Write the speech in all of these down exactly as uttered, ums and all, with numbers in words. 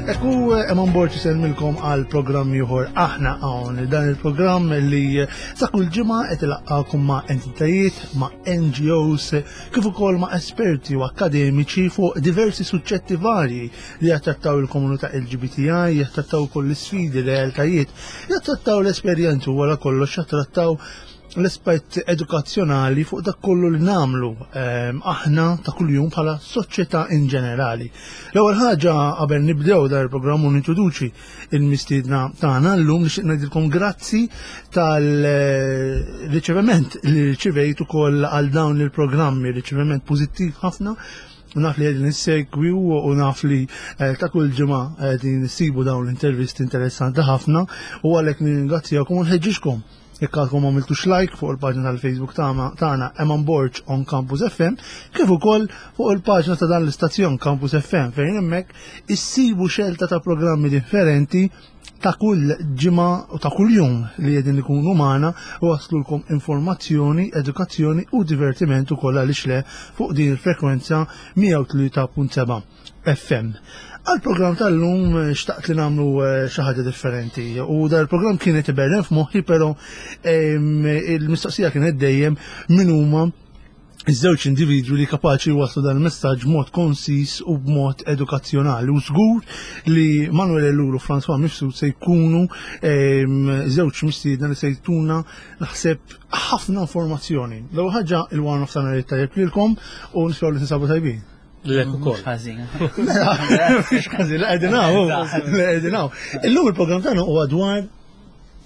Ekku Eman Borg isellmilkom għal programm ieħor aħna hawn dan il-programm li sa kull ġimgħa qed ilaqqakom ma' entitajiet, ma' N G Os, kif ukoll ma' esperti u akademiċi fuq diversi suġġetti varji li jattrattaw il-komunità L G B T I, jattrattaw ukoll l-isfidi, realtajiet, jattrattaw l-esperjenzi u wara kollox jattrattaw l-aspett edukazzjonali fuq dak kollu li nagħmlu ehm, aħna ta' kuljum bħala soċjetà in ġenerali. L-ewwel ħaġa qabel nibdew dar il-programm u nintroduċi il-mistiedna tagħna llum, nixtieq ngħidilkom grazzi tal-riċeviment li riċevejt ukoll għal dawn il-programmi, riċeviment pożittiv ħafna. U naf li qegħdin issegwi u naf li eh, ta' kull ġimgħa qegħdin issibu dawn l-intervisti interessanti ħafna u għalhekk nirringrazzjakom u nħeġġixkom, jekk għadkom għamiltux like fuq il-paġna tal-Facebook tagħna Eman Borg on Campus F M, kif ukoll fuq il-paġna ta' dan l-istazzjon Campus F M, fejn hemmhekk issibu xelta ta' programmi differenti ta' kull ġimgħa u ta' kull jum li qegħdin ikunu magħna u waslulkom informazzjoni, edukazzjoni u divertiment ukoll, għaliex le, fuq din il-frekwenza mija u tlieta punt seba' F M. Għal-program tal-lum eh, xtaqt li nagħmlu eh, xi ħaġa differenti u dal-program kienet iberren f'moħħi, però il-mistoqsija kienet dejjem min huma iż-żewġ individwi li kapaċi waslu dan il-messaġġ b'mod konsis u b'mod edukazzjonali. U żgur li Manuel Ellul u François Mifsud se jkunu żewġ mistiedna li se jtuna, naħseb, ħafna informazzjoni. L-ewwel ħaġa, il-wara nofsinhar tajjeb lilkom u nisperaw li tinsabu tajbin. Lilek ukoll. Ħażin. Mhux ħażin, la qegħdin hawn, la qegħdin hawn. Illum il-programm tagħna huwa dwar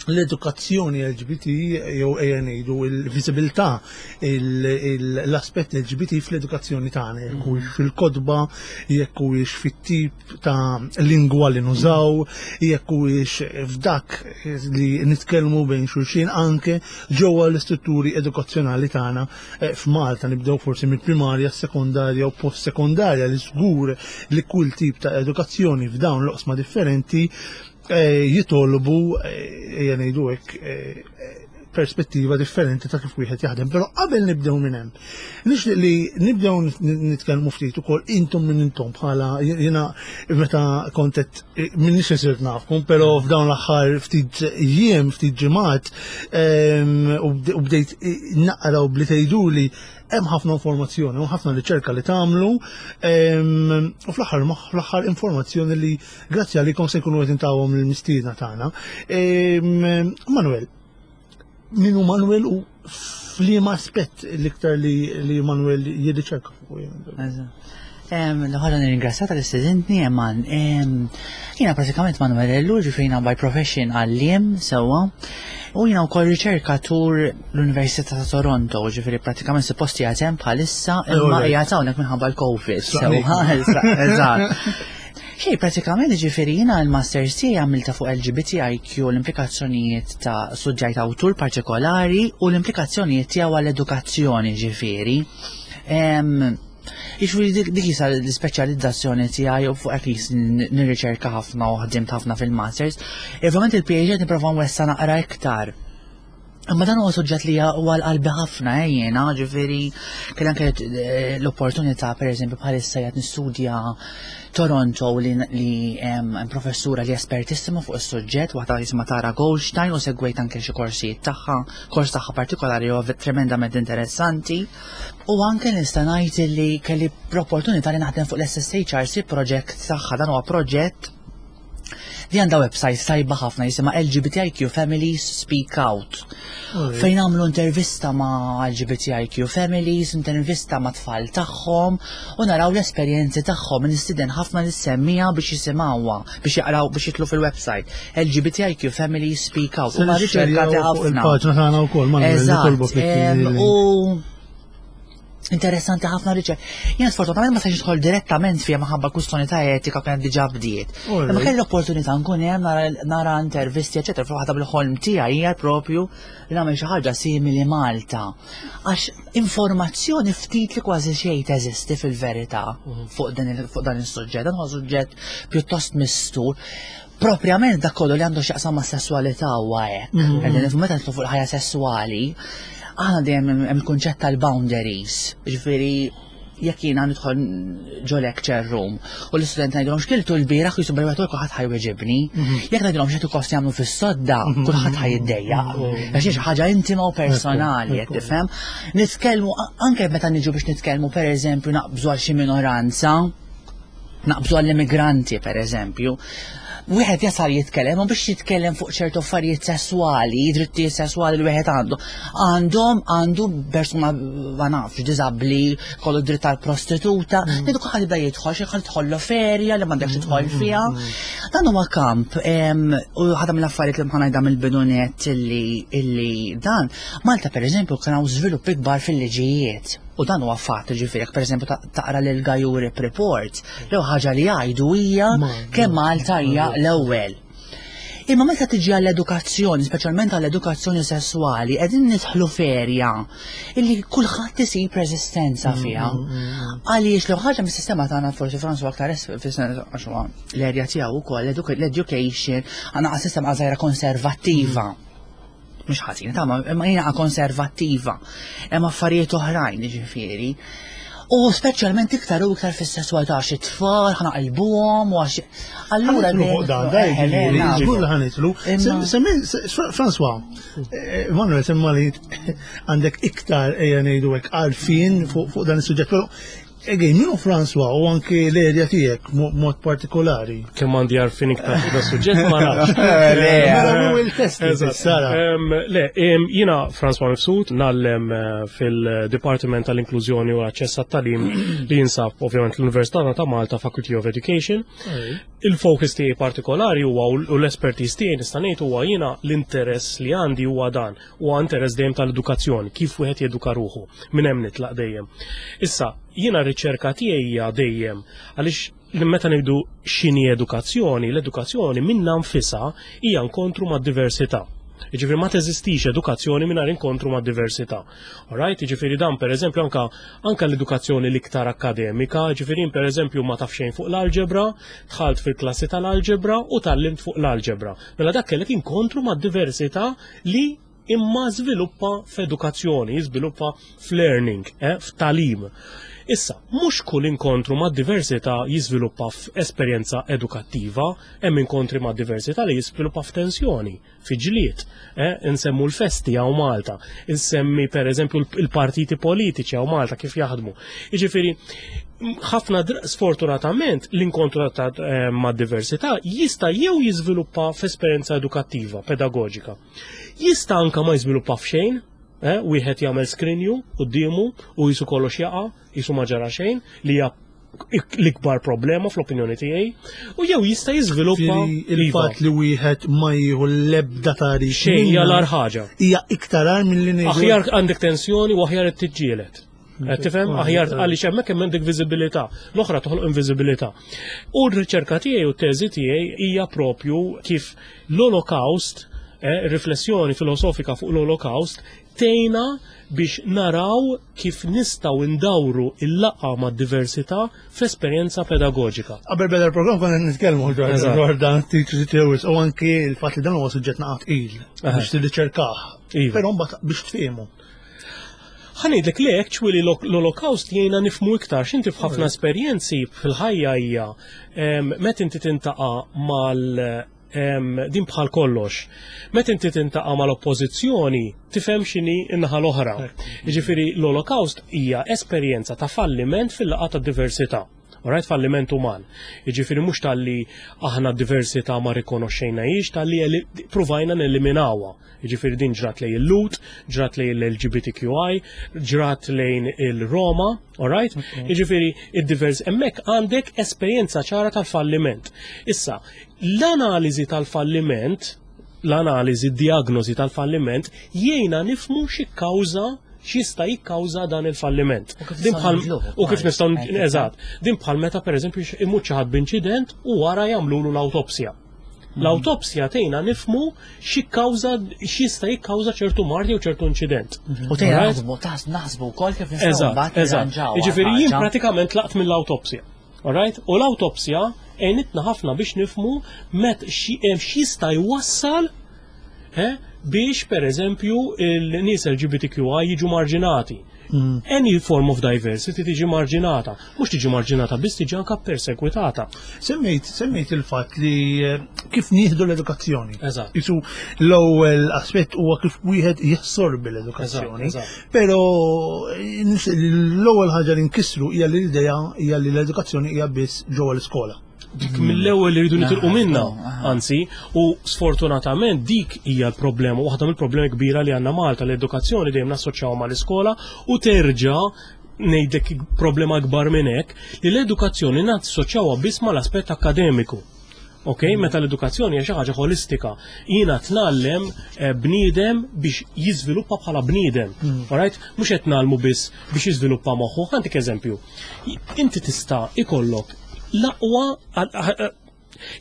l-edukazzjoni L G B T, jew ejja ngħidu il-viżibilità, l-aspett L G B T fl-edukazzjoni tagħna, jekk huwiex fil-kotba, jekk huwiex fit-tip ta' lingwa li nużaw, jekk huwiex f'dak li nitkellmu bejn xulxin anke ġewwa l-istrutturi edukazzjonali tagħna eh, f'Malta, nibdew forsi mill-primarja, sekondarja u post-sekondarja, li żgur li kull tip ta' edukazzjoni f'dawn l-oqsma differenti eh, jitolbu, eh, ejja ngħidu hekk, eh, perspettiva differenti ta' kif wieħed jaħdem. Però qabel nibdew minn hemm, nixtieq li nibdew nitkellmu ftit ukoll intom minn intom, bħala jiena meta kont qed minnix isirt nafkom, però f'dawn l-aħħar ftit jiem, ftit ġimgħat, u bdejt naqra u bli tgħiduli hemm ħafna informazzjoni u ħafna riċerka li tagħmlu, u fl-aħħar fl-aħħar informazzjoni li grazzi għalikom se jkunu qed intawhom lill-mistiedna tagħna. Manuel, min hu Manuel u f'liema aspett l-iktar li, li Manuel jirriċerka fuq? L-ħara nirringrazzja tal-istedintni, Eman. Jiena pratikament Manuel Ellul, ġifieri by profession għalliem sewwa. U jiena wkoll riċerkatur l-Università ta' Toronto, ġifieri pratikament suppost qiegħed hemm bħalissa, imma qiegħed hawnhekk minħabba l-Covid. Sewwa, eżatt. Xej, pratikament ġifieri jiena l-Masters tiegħi għamilta fuq L G B T I Q, l-implikazzjonijiet ta' suġġett awtur partikolari u l-implikazzjonijiet tiegħu għall-edukazzjoni ġifieri. Ġifieri dik dik jisa l-speċjalizzazzjoni tiegħi u fuq hekk nirriċerka ħafna u ħdimt ħafna fil-masters. Ovvjament il-P H D nipprova nwessa naqra iktar. Imma dan huwa suġġett li huwa l-qalbi ħafna, eh, jiena, ġifieri kelli anke eh, l-opportunità, pereżempju bħalissa qed nistudja Toronto li li hemm professura li espertissima fuq is-suġġett, waħda jisimha Tara Goldstein, u segwejt anke xi korsijiet tagħha, kors tagħha partikolari huwa tremendament interessanti. U anke nista' ngħid li kelli l-opportunità li naħdem fuq l-S S H R C project tagħha. Dan huwa proġett li għandha website tajba ħafna jisimha L G B T I Q Families Speak Out. Fejn għamlu intervista ma' L G B T I Q Families, intervista ma' tfal tagħhom u naraw l-esperjenzi tagħhom. Nistieden ħafna lis-semmiegħa biex jisimgħuha, biex jaqraw, biex jidħlu fil-website. L G B T I Q Families Speak Out. U ma riċerkati ħafna. Il-paġna tagħna wkoll ma Eżatt. U Interessanti ħafna riċerka. Jien sfortunatament ma stajtx nidħol direttament fiha minħabba kwistjoni ta' etika kienet diġà bdiet. Imma kelli l-opportunità nkun hemm nara, nara intervisti, eċetera, fuq waħda bil-ħolm tiegħi hija propju li nagħmel xi ħaġa simili Malta. Għax informazzjoni ftit li kważi xejn teżisti fil-verità fuq dan il- fuq dan is-suġġett. Dan huwa suġġett pjuttost mistur. Propjament dak kollu li għandu x'jaqsam ma' sessualità huwa hekk. Qegħdin nifhmu meta nidħlu fuq il-ħajja sessuali, aħna dejjem hemm hemm il-kunċett tal-boundaries. Ġifieri jekk jiena nidħol ġo lecture room u l-istudent ngħidilhom x'kiltu l-bieraħ jisu bil kulħadd ħa jweġibni. Jekk ngħidilhom x'qed ikost jagħmlu fis-sodda, kulħadd ħa jiddejjaq. Għax hi xi ħaġa intima u personali, qed tifhem. Nitkellmu anke meta niġu biex nitkellmu pereżempju naqbżu għal xi minoranza, naqbżu għall-immigranti per eżempju, wieħed jasal jitkellem u biex jitkellem fuq ċertu affarijiet sessuali, drittijiet sessuali li wieħed għandu. Għandhom għandu persuna ma nafx diżabbli, kollu dritt tal-prostituta, ngħidu kulħadd jibda jidħol xi ħadd tidħollu f'erja li m'għandekx tidħol fiha. Dan huwa kamp em, u ħaġa mill-affarijiet li mħanajda mill-bidunet illi illi dan Malta per eżempju kien hawn żviluppi kbar fil-liġijiet. U dan huwa fatt, ġifieri, jekk pereżempju ta- taqra lil Gajuri Report, l ħaġa li jgħidu hija kemm Malta hija l-ewwel. Imma meta tiġi għall-edukazzjoni, speċjalment għall-edukazzjoni sessuali, qegħdin nidħlu f'erja illi kulħadd isib reżistenza fiha. Għaliex l ħaġa mis-sistema tagħna forsi François aktar es- fis-sens għax huwa l-erja tiegħu wkoll l-education għandna sistema żgħira konservattiva. Mhux ħażin, ta' ma jiena konservattiva. Hemm affarijiet oħrajn ġifieri. U speċjalment iktar u iktar fis-sesswalità għax it-tfal ħa naqilbuhom u għax allura Ħa nidħlu fuq dan, daj, Eh, le, ġifieri, naf. żgur li ħa nidħlu. Imma- Semmi, François, eh, Manuel, semma li għandek iktar ejja ngħidu hekk għarfien fuq fuq dan is-suġġett, però again, min hu François u anke l-erja tiegħek mo- mod partikolari. Kemm għandi għarfien iktar fuq da suġġett ma nafx. Le, Mela hu il-test Eżatt. Sara. Em, Le, em, jiena François Mifsud ngħallem eh, fil-Departiment tal-Inklużjoni u Aċċess għat-Tagħlim li jinsab ovvjament l-Università ta' Malta Faculty of Education. Il-focus tiegħi partikolari huwa u l-expertise tiegħi nista' ngħid huwa jiena l-interess li għandi huwa dan, huwa interess dejjem tal-edukazzjoni, kif wieħed jeduka ruħu, minn hemm nitlaq dejjem. Issa, jiena r-riċerka tiegħi hija dejjem għaliex li meta ngħidu x'inhi edukazzjoni, l-edukazzjoni minnha nfisha hija inkontru mad-diversità. Jiġifieri ma teżistix edukazzjoni mingħajr inkontru ma' diversità. Alright, jiġifieri dan pereżempju anka anka l-edukazzjoni l-iktar akademika, jiġifieri per eżempju ma taf xejn fuq l-alġebra, dħalt fil-klassi tal-alġebra u tgħallimt fuq l-alġebra. Mela dak kellek inkontru ma' diversità li imma żviluppa f'edukazzjoni, jiżviluppa f'learning, eh, f'tagħlim. Issa, mhux kull inkontru ma' diversità jiżviluppa f'esperjenza edukattiva, hemm inkontri ma' diversità li jiżviluppa f'tensjoni, fi ġlied. Eh? Insemmu l-festi hawn Malta, insemmi per eżempju il-partiti politiċi hawn Malta kif jaħdmu. Jiġifieri, ħafna sfortunatament l-inkontru ta' eh, ma' diversità jista' jew jiżviluppa f'esperjenza edukattiva, pedagogika. Jista' anka ma jiżviluppa f'xejn, eh, wieħed jagħmel skrinju quddiemu u jisu kollox jaqa', jisu ma ġara xejn, li hija l-ikbar problema fl-opinjoni tiegħi, u jew jista' jiżviluppa il-fatt li wieħed ma jieħu l-ebda tagħrif. Xejn hija l ħaġa. Hija iktar agħar milli ngħidu. Aħjar għandek tensjoni u aħjar qed tiġġieled. Qed tifhem aħjar għaliex hemmhekk hemm għandek viżibilità, l-oħra toħloq inviżibilità. U r-riċerka tiegħi u t-teżi tiegħi hija propju kif l-Holocaust, eh, riflessjoni filosofika fuq l-Holocaust, tgħinna biex naraw kif nistgħu ndawru il-laqgħa ma' diversità f'esperjenza pedagogika. Qabel beda l-programm konna nitkellmu dwar dan Teachers Theories u anki il-fatt li dan huwa suġġett naqat il biex tirriċerkah. Iva. Però mbagħad biex tfiehmu. Ħa ngħidlek li actually l-Holocaust jgħinna nifhmu iktar x'inti f'ħafna esperjenzi fil-ħajja hija meta inti tiltaqa' mal din bħal kollox. Meta inti tiltaqa' mal-oppożizzjoni tifhem x'inhi n-naħa l-oħra. Jiġifieri l-Holocaust hija esperjenza ta' falliment fil-laqgħa ta' diversità. Alright, falliment uman. Jiġifieri mhux talli aħna diversità ma rikonoxxejnahiex, talli provajna neliminawha. Jiġifieri din ġrat lejn il-Lhud, ġrat lejn l-L G B T Q I, ġrat lejn il-Roma, alright? Jiġifieri id-divers hemmhekk għandek esperjenza ċara tal-falliment. Issa, l-analiżi tal-falliment, l-analiżi, diagnosi tal-falliment, jgħinna nifhmu xi kawża x'jista' jikkawża dan il-falliment. U kif Din nistgħu bħal nibdluh u kif ukoll. nistgħu Hekk, eżatt. Din bħal meta, pereżempju, imut xi ħadd b'inċident u wara jagħmlulu l-awtopsja. L-awtopsja tgħinna nifhmu x'jikkawża, x'jista' jikkawża ċertu mard jew ċertu inċident. U tgħinna Alright? naħsbu, tas- naħsbu wkoll kif nistgħu Eżatt, mbagħad eżatt. nirranġaw Jiġifieri jien ħaġa. pratikament tlaqt mill-awtopsja. Alright? U l-awtopsja għenitna ħafna biex nifhmu met x'jista' jwassal eh, biex, per eżempju, il-nies L G B T Q I jiġu marġinati. Any form of diversity tiġi marġinata. Mhux tiġi marġinata biss, tiġi anka persekwitata. Semmejt, semmejt il-fatt li eh, kif nieħdu l-edukazzjoni. Eżatt. Isu l-ewwel aspett huwa kif wieħed jassorbi l-edukazzjoni. Eżatt, eżatt. Però eh, nis- l-ewwel ħaġa li nkissru hija li l-idea hija li l-edukazzjoni hija biss ġewwa l-iskola. Dik mill-ewwel li rridu nitilqu minna, aha. anzi, u sfortunatament dik hija l-problema, waħda mill-problemi kbira li għandna Malta, l-edukazzjoni dejjem nassoċjaw mal-iskola. U terġa' ngħidlek problema kbar minn hekk, li l-edukazzjoni nassoċjawha biss mal-aspett akademiku. Ok, meta l-edukazzjoni hija xi ħaġa ħolistika. Jiena tnallem eh, bniedem biex jiżviluppa bħala bniedem. Alright? Mhux qed ngħallmu biss biex jiżviluppa moħħu. Ħa ntik eżempju. Inti tista' ikollok l-aqwa,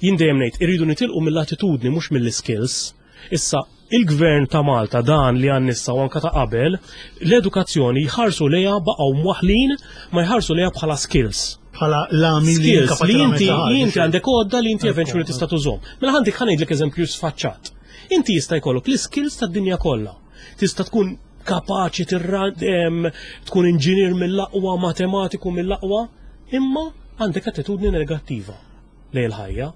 jien dejjem ngħid irridu nitilqu mill-attitudni, mhux mill-skills. Issa il-gvern ta' Malta dan li għandna issa u anka ta' qabel, l-edukazzjoni jħarsu lejha, baqgħu mwaħlin ma jħarsu lejha bħala skills. Bħala lami li Skills kapaċi li inti tagħmel xi ħaġa. Li inti għandek għodda li inti eventually tista' tużhom. Mela għandek, ħa ngħidlek eżempju sfaċċat. Inti jista' jkollok l-skills tad-dinja kollha. Tista' tkun kapaċi tirra em, tkun inġinier mill-aqwa, matematiku mill-aqwa, imma għandek attitudni negattiva lejn il-ħajja.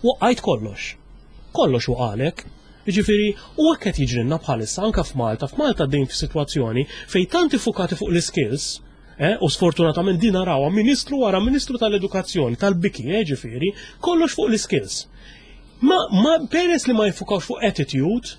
Waqqajt kollox. Kollox waqalek. Ġifieri, u hekk qed jiġrilna bħalissa anka f'Malta. F'Malta din f'sitwazzjoni fejn tant iffukati fuq l-skills, eh, u sfortunatament din narawha ministru wara ministru tal-edukazzjoni, tal-biki, eh, ġifieri, kollox fuq l-skills. Ma, ma peress li ma jfukawx fuq attitude,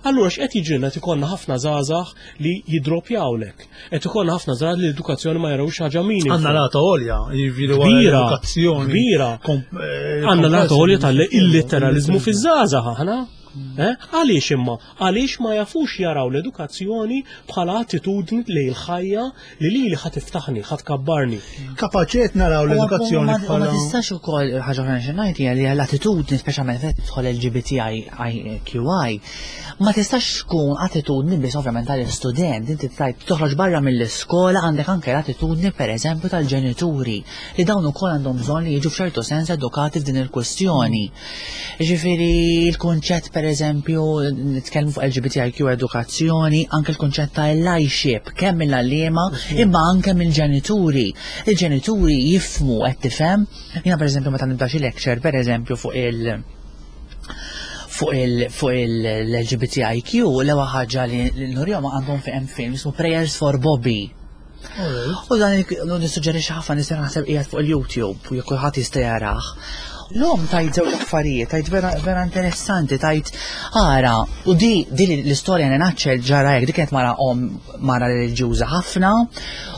allura x'qed jiġrilna? Qed ikollna ħafna żgħażagħ li jidropjawlek. Qed ikollna ħafna żgħażagħ li l-edukazzjoni ma jarawx ħaġa minima. Għandna rata għolja, jiġifieri wara Kbira, l-edukazzjoni. Kbira. kom- eh, Għandna rata għolja tal-illitteralizmu Illitteralizmu. fiż-żgħażagħ aħna. Eh? Għaliex imma? Għaliex ma jafux jaraw l-edukazzjoni bħala attitudni li l-ħajja li li li ħa tiftaħni, ħa tkabbarni. Kapaċi qed naraw l-edukazzjoni U ma- u Ma bħala. tistax ukoll, ħaġa oħra xi ngħid hija li l-attitudni, speċjalment fejn tidħol L G B T I Q I, ma tistax tkun attitudni biss ovvjament tal-istudent. Inti tajt toħroġ barra mill-iskola, għandek anke l-attitudni, pereżempju, tal-ġenituri, li dawn ukoll għandhom bżonn li jiġu f'ċertu sens edukati f'din il-kwestjoni. Ġifieri l-kunċett, pereżempju, nitkellmu fuq L G B T I Q edukazzjoni, anke l-kunċett ta' allyship, kemm mill-għalliema imma anke mill-ġenituri. Il-ġenituri jifhmu, qed tifhem? Jiena, pereżempju, meta nibda xi lecture, pereżempju, fuq il- fuq il fuq il-L G B T I Q, l-ewwel ħaġa li li nurihom, għandhom fi hemm film ismu Prayers for Bobby. U dan il- nissuġġerixxi ħafna nies, naħseb qiegħed fuq il-YouTube u jekk kulħadd jista' jarah. L-om tajt żewġ affarijiet, tajt vera, vera interessanti, tajt ara, u di, di l-istorja nenaċċel ġara hekk, di kienet mara om, mara reliġjuża ħafna,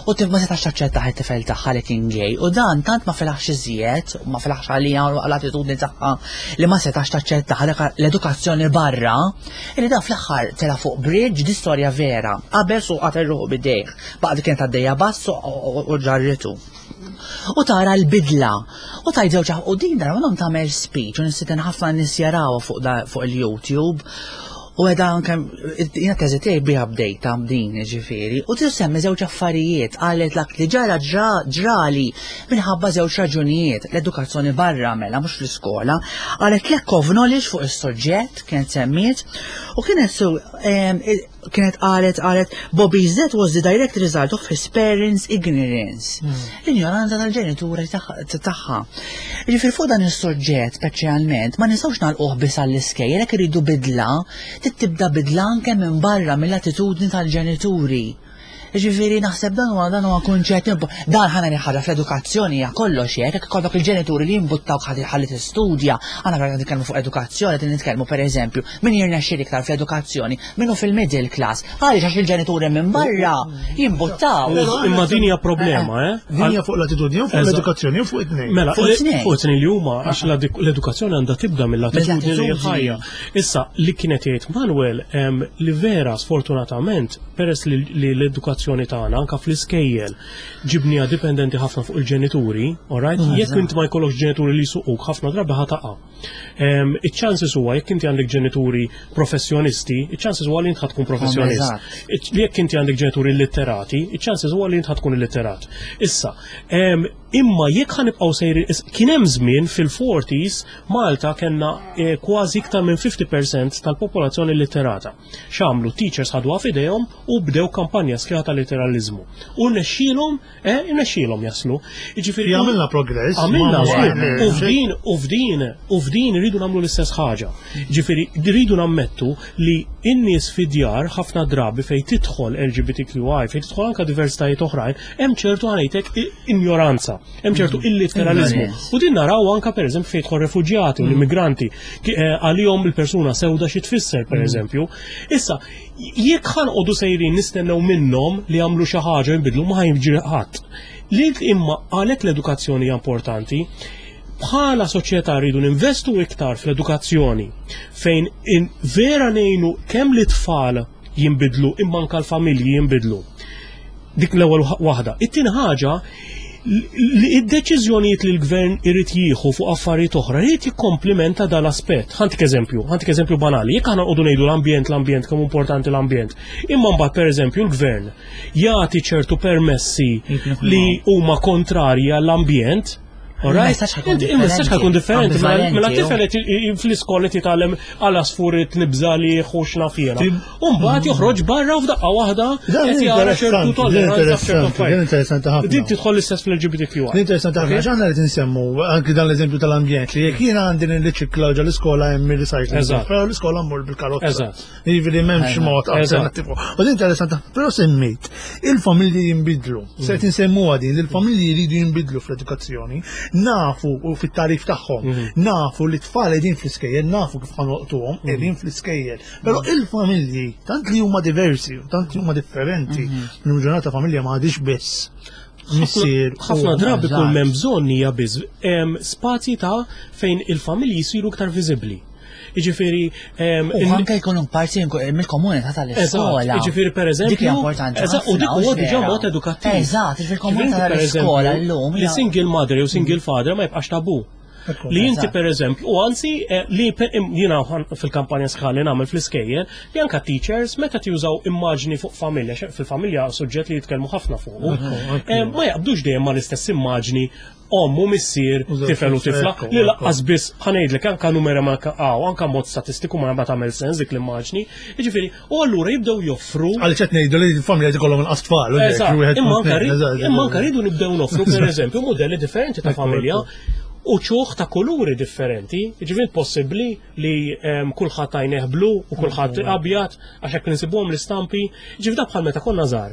u tif ma setax taċċetta it-tifel tagħha li kien gay, u dan tant ma felaħx iżjed, ma felaħx għalija u l-attitudni tagħha li ma setax taċċetta l-edukazzjoni barra, li da fl-aħħar tela fuq bridge, di storja vera, qabel su qatel ruħu bidejh, baqgħet kienet għaddejja bass u u ġarritu. U tara l-bidla. U tajt żewġ, u din darba minnhom tagħmel speech u nistieden ħafna nies jarawha fuq da- fuq il-YouTube. U għeda anke jiena teżi tiegħi biha bdejta din, ġifieri. U tissemmi żewġ affarijiet, qalet lak li ġara ġra- ġrali minħabba żewġ raġunijiet, l-edukazzjoni barra mela, mhux fl-iskola, qalet lack of knowledge fuq is-soġġett kienet semmiet, u kienet su em, il- kienet qalet qalet "Bobby's death was the direct result of his parents' ignorance." L-ignoranza tal-ġenituri tagħha. Ġifieri fuq dan is-soġġett speċjalment ma nistgħux nagħlquh biss għall-iskejjel, jekk iridu bidla, trid tibda bidla anke minn barra, mill-attitudni tal-ġenituri. Ġifieri naħseb dan huwa dan huwa kunċett impo- dan ħana ħaġa fl-edukazzjoni hija kollox hekk, jekk ikollok il-ġenituri li jimbuttawk ħalli ħalli tistudja, aħna vera nitkellmu fuq edukazzjoni, qed nitkellmu pereżempju min jirnexxi iktar fl-edukazzjoni, minnu fil-middle class, għaliex għax il-ġenituri minn barra jimbuttaw. Imma din hija problema, eh? Din hija fuq l-attitudni, u fuq Eżatt. l-edukazzjoni, u fuq it-tnejn. Mela, Fuq it-tnejn. fuq it-tnejn li huma għax l-edu- l-edukazzjoni għandha tibda mill-attitudni li Mill-attitudni. ħajja. Issa li kienet jgħid Manuel em, li vera sfortunatament peress li li l-edukazzjoni tagħna anka fl-iskejjel ġibnija dipendenti ħafna fuq il-ġenituri, alright? Jekk inti ma jkollokx ġenituri li jsuquk ħafna drabi ħa taqa'. Em, Iċ-chances huwa jekk inti għandek ġenituri professjonisti, iċ-chances huwa li inti ħa tkun professjonist. Eżatt. Iċ- li jekk inti għandek ġenituri illitterati, iċ-chances huwa li inti ħa tkun illitterat. Issa, em, imma jekk ħa nibqgħu sejri, is- kien hemm żmien fil-forties Malta kellna eh, kważi iktar minn fifty percent tal-popolazzjoni illitterata. X'għamlu? Teachers ħaduha f'idejhom u bdew kampanja sħiħa tal-literalizmu. U nexxielhom, eh, nexxielhom jaslu. Jiġifieri Għamilna progress. Għamilna ma- żgur. ma- U f'din, u f'din, u f'din rridu nagħmlu l-istess ħaġa. Ġifieri, rridu nammettu li in-nies fid-djar ħafna drabi fejn tidħol L G B T Q I, fejn tidħol anka diversitajiet oħrajn, hemm ċertu ħanejtek ignoranza, hemm ċertu illiteralizmu. Ignoranza. U din naraw anka pereżempju fejn tidħol refuġjati u l-immigranti, ki- eh, għalihom il-persuna sewda xi tfisser pereżempju. Issa, jekk ħa noqogħdu sejrin nistennew minnhom li jagħmlu xi ħaġa jinbidlu, ma ħa jiġri ħadd. Li imma għalhekk l-edukazzjoni hija importanti, bħala soċjetà rridu ninvestu iktar fl-edukazzjoni fejn in vera ngħinu kemm l-tfal jinbidlu imma anka l-familji jinbidlu. Dik l-ewwel waħda. It-tieni ħaġa li id-deċiżjonijiet li l-gvern irid jieħu fuq affarijiet oħra irid jikkomplimenta dal-aspett. Ħa ntik eżempju, ħa ntik eżempju banali. Jekk aħna nqogħdu ngħidu l-ambjent, l-ambjent, kemm importanti l-ambjent. Imma mbagħad pereżempju l-gvern jagħti ċertu permessi li huma kontrarji għall-ambjent. Alright? Il-messaġġ ħa jkun Inti- Il-messaġġ ħa jkun differenti. Mela ambivalenti, mela tifel qed fl-iskola titgħallem għal għasfur nibża li x'naf jiena. U mbagħad joħroġ barra u f'daqqa waħda Dan qed jara ċertu interessanti, din tolleranza f'ċertu interessanti, din affarijiet. interessanti ħafna. Din tidħol l-istess fl-L G B T Q I. Din interessanti ħafna, għax aħna qed insemmu anki dan l-eżempju tal-ambjent li jekk jiena għandi nirriċikla ġo l-iskola hemm ir-recycling. Eżatt. Però l-iskola mmur bil-karozza. Eżatt. Jiġifieri m'hemmx mod Eżatt. alternattiv. U din interessanti, però semmejt il-familji jinbidlu. Se qed insemmuha din, il-familji jridu jinbidlu fl-edukazzjoni, nafu u fit-tagħrif tagħhom, nafu li tfal qegħdin fl-iskejjel, nafu kif ħa nolqtuhom, qegħdin fl-iskejjel. Però il-familji tant li huma diversi, u tant li huma differenti, l-ġurnata familja ma għadix biss missier. Ħafna u- drabi kull Eżatt. m'hemm bżonn hija biss em, spazji ta' fejn il-familji jsiru iktar viżibbli. Jiġifieri em, U anke jkunu parti mill-komunità tal-iskola. Eżatt, jiġifieri per eżempju. Dik hija importanti. Eżatt, u dik ħafna, huwa diġà vera. mod edukattiv. Eżatt, fil-komunità Ġifieri, per tal-iskola eżempju, llum. li hija- single mother jew single father ma jibqax tabu. Ekku. Li inti Eżatt. per eżempju, u anzi, eh, li per- im- jiena ħan- fil-kampanja sħali nagħmel fl-iskejjel, li anka teachers meta tużaw immaġni fuq familja, xe- fil-familja suġġett li jitkellmu ħafna fuq, eh, ma jaqbdux dejjem ma l-istess immaġni omm u missier, Użaw tifel u tifla, ekku, li ekku. lanqas biss ħa ngħidlek anka numera ma għaw, anka mod statistiku ma ma tagħmel sens dik l-immaġni. Jiġifieri, u allura jibdew joffru Għaliex qed ngħidu li l-familja jkollhom inqas tfal. U Eżatt, dik, wieħed imma punt anka tnejn, ri- eżatt, imma anka rridu nibdew noffru per eżempju modelli differenti ta' Ekku, familja ekku. u ċuħ ta' kuluri differenti. Ġifieri possibbli li em, kulħadd għajnejh blu u kulħadd abjad għax hekk nsibuhom l-istampi. Ġifieri da bħal meta konna żgħar.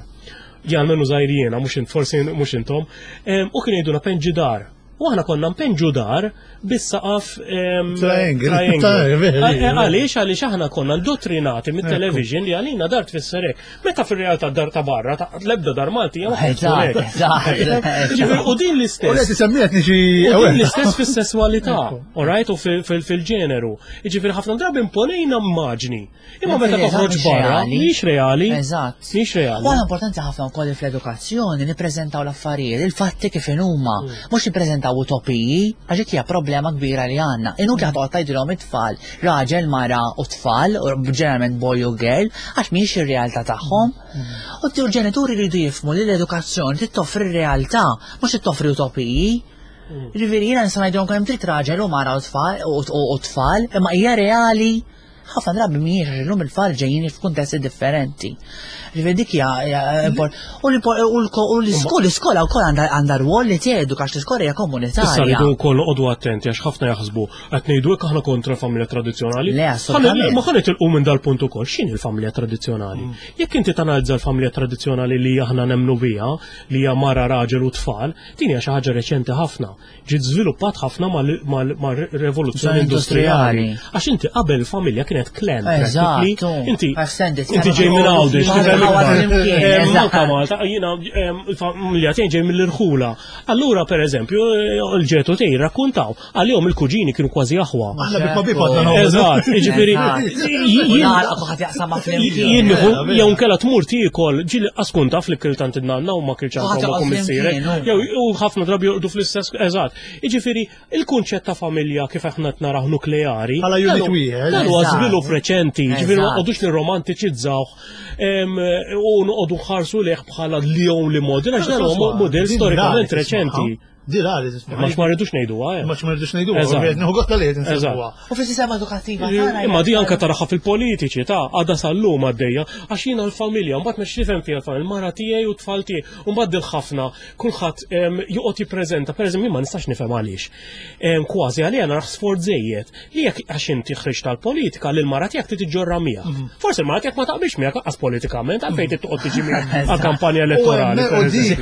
Jan menu żgħir jiena, mhux int- forsi mhux intom, em, u kien jgħiduna penġi dar. U aħna konna npenġu dar bis-saqaf em, Triangle. triangle. Triangle, Għal- Għaliex għaliex aħna konna indottrinati mit-television li għalina dar tfisser hekk. Meta fir-realtà dar ta' barra, ta' l-ebda dar Malti hija ma Eżatt, eżatt. Ġifieri, u din U li l-istess. tisemmiet nixi. U din l-istess fis-sesswalità, alright, u fil- fil- fil-ġeneru. Jiġifieri ħafna drabi imponejna immaġni. Imma meta toħroġ barra, mhix reali. Eżatt. Mhix reali. U għala importanti ħafna wkoll fl-edukazzjoni nippreżentaw l-affarijiet, il-fatti kif huma, mhux nippreżentaw utopiji, għax dik hija problema kbira li għandna. Inutli ħa toqgħod tgħidilhom it-tfal, raġel, mara u tfal, u ġeneralment boy u girl, għax mhijiex ir-realtà tagħhom. U l-ġenituri jridu jifhmu li l-edukazzjoni trid toffri r-realtà, mhux trid toffri utopiji. Ġifieri jiena nista' ngħidilhom kemm trid raġel u mara u tfal u u tfal, imma hija reali. Ħafna drabi mhijiex, għax illum il-tfal ġejjin f'kuntesti differenti. Ġifieri dik hija u l-iskola wkoll għandha rwol li teduka, għax l-iskola hija komunitarja. Issa rridu wkoll noqogħdu attenti, għax ħafna jaħsbu qed ngħidu hekk aħna kontra familja tradizzjonali. Le, assolutament. Ma ħa nitilqu minn dal-punt ukoll, x'inhi l-familja tradizzjonali? Jekk inti tanalizza l-familja tradizzjonali li aħna nemmnu biha, li hija mara, raġel u tfal, din hija xi ħaġa reċenti ħafna. Ġiet żviluppat ħafna mal-rivoluzzjoni industrijali. Għax inti qabel familja kienet klan. Eżatt. Inti inti ġej minn Għawdex, Malta, Malta, jiena il-familja tiegħi ġej mill-irħula. Allura pereżempju l-ġetu tiegħi rakkuntaw għalihom il-kuġini kienu kważi aħwa. Eżatt, jiġifieri jien jew nkella tmur tiekol ġieli qaskun taf li kilt għand in-nanna u ma kilx għand ommok u missierek. Jew ħafna drabi jorqdu fl-istess, eżatt. Jiġifieri il-kunċett ta' familja kif aħna qed naraw nukleari. Bħala unit wieħed. Dan huwa żvilupp reċenti, jiġifieri ma noqogħdux nirromantiċizzawh u noqogħdu nħarsu lejh bħala the only model, għax dan huwa modell storikament reċenti. Di rari. Ma ma rridux ngħiduha. Ma ma rridux ngħiduha, nieħu gost li qed insemmuha. U fis-sistema edukattiva tagħna. Imma di anke taraha fil-politiċi ta' għadha sal-lum għaddejja, għax jiena l-familja, mbagħad ma x'tifhem fiha l-familja, il-mara tiegħi u t-tfal tiegħi, u mbagħad dil ħafna kulħadd joqgħod jippreżenta, pereżempju ma nistax nifhem għaliex. Kważi għalija naraħ sforz żejjed li jekk għax inti ħriġt tal-politika li l-mara tiegħek trid iġġorra miegħek. Forsi l-mara tiegħek ma taqbilx miegħek anqas politikament, għalfejn trid toqgħod tiġi miegħek għall-kampanja elettorali.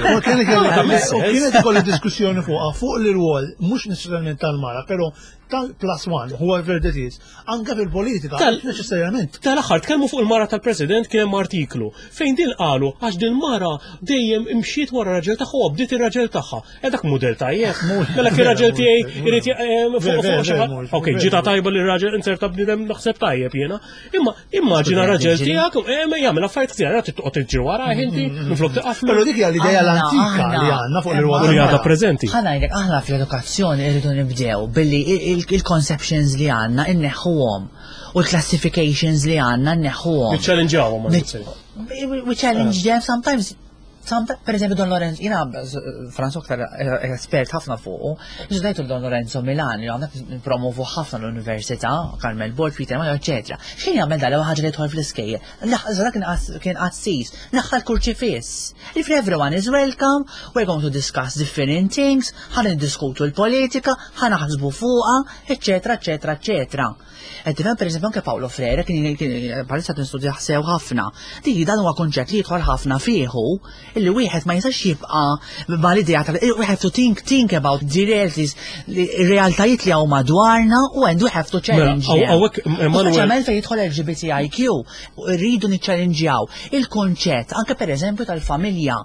U kienet ikolli diskussjoni fuqha fuq l-rwol mhux neċessarjament tal-mara, però tal-plus one, whoever that is, anke fil-politika, neċessarjament. Tal-aħħar tkellmu fuq il-mara tal-President, kien hemm artiklu fejn din qalu għax din mara dejjem imxiet wara raġel tagħha u bdiet ir-raġel tagħha. E dak mudell tajjeb. Mela kien raġel tiegħi irid fuq. Okej, ġita tajba li raġel inserta bniedem naħseb tajjeb jiena. Imma immaġina raġel tiegħek jagħmel affarijiet ħsiera toqgħod tiġri wara inti minflok tiqaflu. Però dik hija l-idea l-antika li għandna fuq l-irwol. U li għadha preżenti. Ħa ngħidlek, aħna fl-edukazzjoni irridu nibdew billi il-conceptions li għandna inneħħuhom u l-classifications li għandna nneħħuhom. Niċċallenġawhom. We challenge them sometimes. Per eżempju Don Lorenzo, jiena Franzo aktar espert ħafna fuqu, ġdajtu Don Lorenzo Milan, li għandek promovu ħafna l-Università, Carmel Borg, Peter Mayo, eccetera. Xejn jagħmel dal ħaġa li jidħol fl-iskejjel? Kien qassis, naħħal kurċifiss. If everyone is welcome, we're going to discuss different things, ħa niddiskutu l-politika, ħa naħsbu fuqha, eccetera, eccetera, eccetera. Qed tifhem, pereżempju anke Paolo Freire kien bħalissa tinstudja sew ħafna. Dik dan huwa konċett li jidħol ħafna fieħu, illi wieħed ma jistax jibqa' mal-idea ta' we have to think think about the realities, realtajiet li hawn madwarna, u and we have to challenge. Speċjalment fejn jidħol L G B T I Q, rridu niċċallenġjaw il-konċett anke pereżempju tal-familja.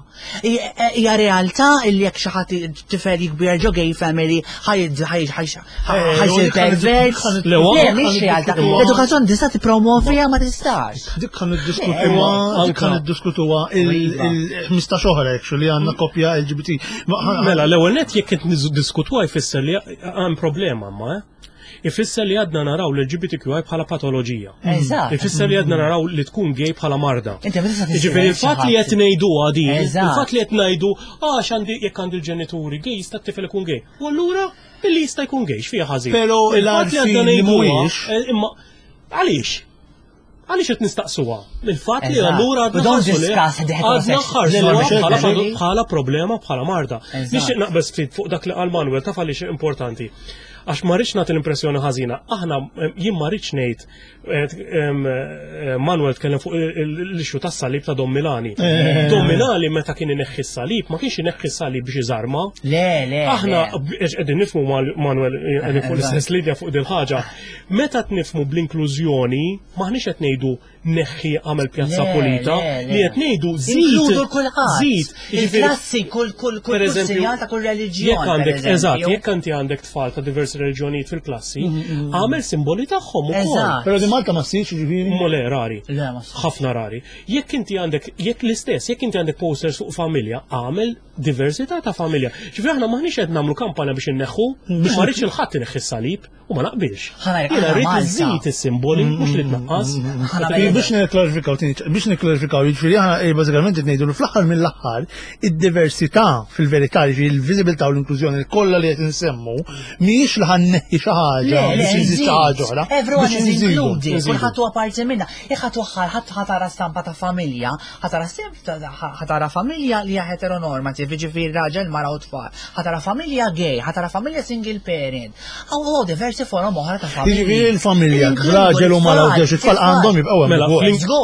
Hija realtà illi jekk xi ħadd tifel jikber ġo gay family ħajsir pervers. Le, mhix realtà. L-edukazzjoni tista' tippromovija ma tistax. Dik kan niddiskutuha, dik kan niddiskutuha il-ħmistax oħra actually għandna koppja L G B T. Mela, l-ewwel nett jekk qed niddiskutuha jfisser li hemm problema ma, ifisser li għadna naraw l-L G B T Q I bħala patoloġija. Ifisser li għadna naraw li tkun gay bħala marda. Jiġifieri il-fatt li qed ngħiduha din, il-fatt li qed ngħidu għax għandi jekk għandi l-ġenituri gay jista' t-tifel ikun gay. U allura billi jista' jkun gay x'fiha ħażin. Però il-fatt li għadna ngħiduha, imma għaliex? Għaliex qed nistaqsuha? Il-fatt li allura għadna ħarsu bħala problema, bħala marda. Nixtieq naqbel ftit fuq dak li qal Manuel, taf għaliex importanti. Għax ma rridx nagħti l-impressjoni ħażina. Aħna jien ma rridx ngħid, Manuel tkellem fuq l-issue tas-salib ta' Don Milani. Don Milani meta kien ineħħi s-salib, ma kienx ineħħi s-salib biex iżarma. Le, le. Aħna qegħdin nifhmu Manuel qegħdin fuq l-istess linja fuq dil ħaġa. Meta tnifhmu bl-inklużjoni, maħniex qed ngħidu neħħi għamel pjazza pulita, li qed ngħidu żid żid. Il-klassi kull kull kull sinjal ta' kull reliġjon. Jekk għandek, eżatt, jekk inti għandek tfal ta' diversi reliġjonijiet fil-klassi, għamel simboli tagħhom ukoll. Però di Malta ma ssirx, jiġifieri? Le, rari. Ħafna rari. Jekk inti għandek, jekk l-istess, jekk inti għandek posters fuq familja, għamel Diversità ta' familja. Ġifieri aħna maħniex qed nagħmlu kampanja biex inneħħu, ma rridx 'il ħadd ineħħi s-salib u ma naqbilx. Jiena rrid iżid is-simboli mhux li tnaqqas. Biex niklarifikaw, biex niklarifikaw, jiġifieri aħna eh, bażikament qed ngħidu li fl-aħħar mill-aħħar id-diversità fil-verità, jiġifieri il-viżibilità u l-inklużjoni kollha li qed insemmu mhijiex li ħa nneħħi xi ħaġa biex inżid xi ħaġa oħra. Everyone is included, kulħadd huwa parti minna. Jekk ħadd waħħal ħadd ħa tara stampa ta' familja, ħa tara ħa tara familja li hija heteronormative, ġifieri raġel, mara u tfal. Ħa tara familja gay, ħa tara familja single parent. Aw diversi forom oħra ta' familja. Jiġifieri l-familja, raġel u mara u ġex it-tfal għandhom jibqgħu Mela,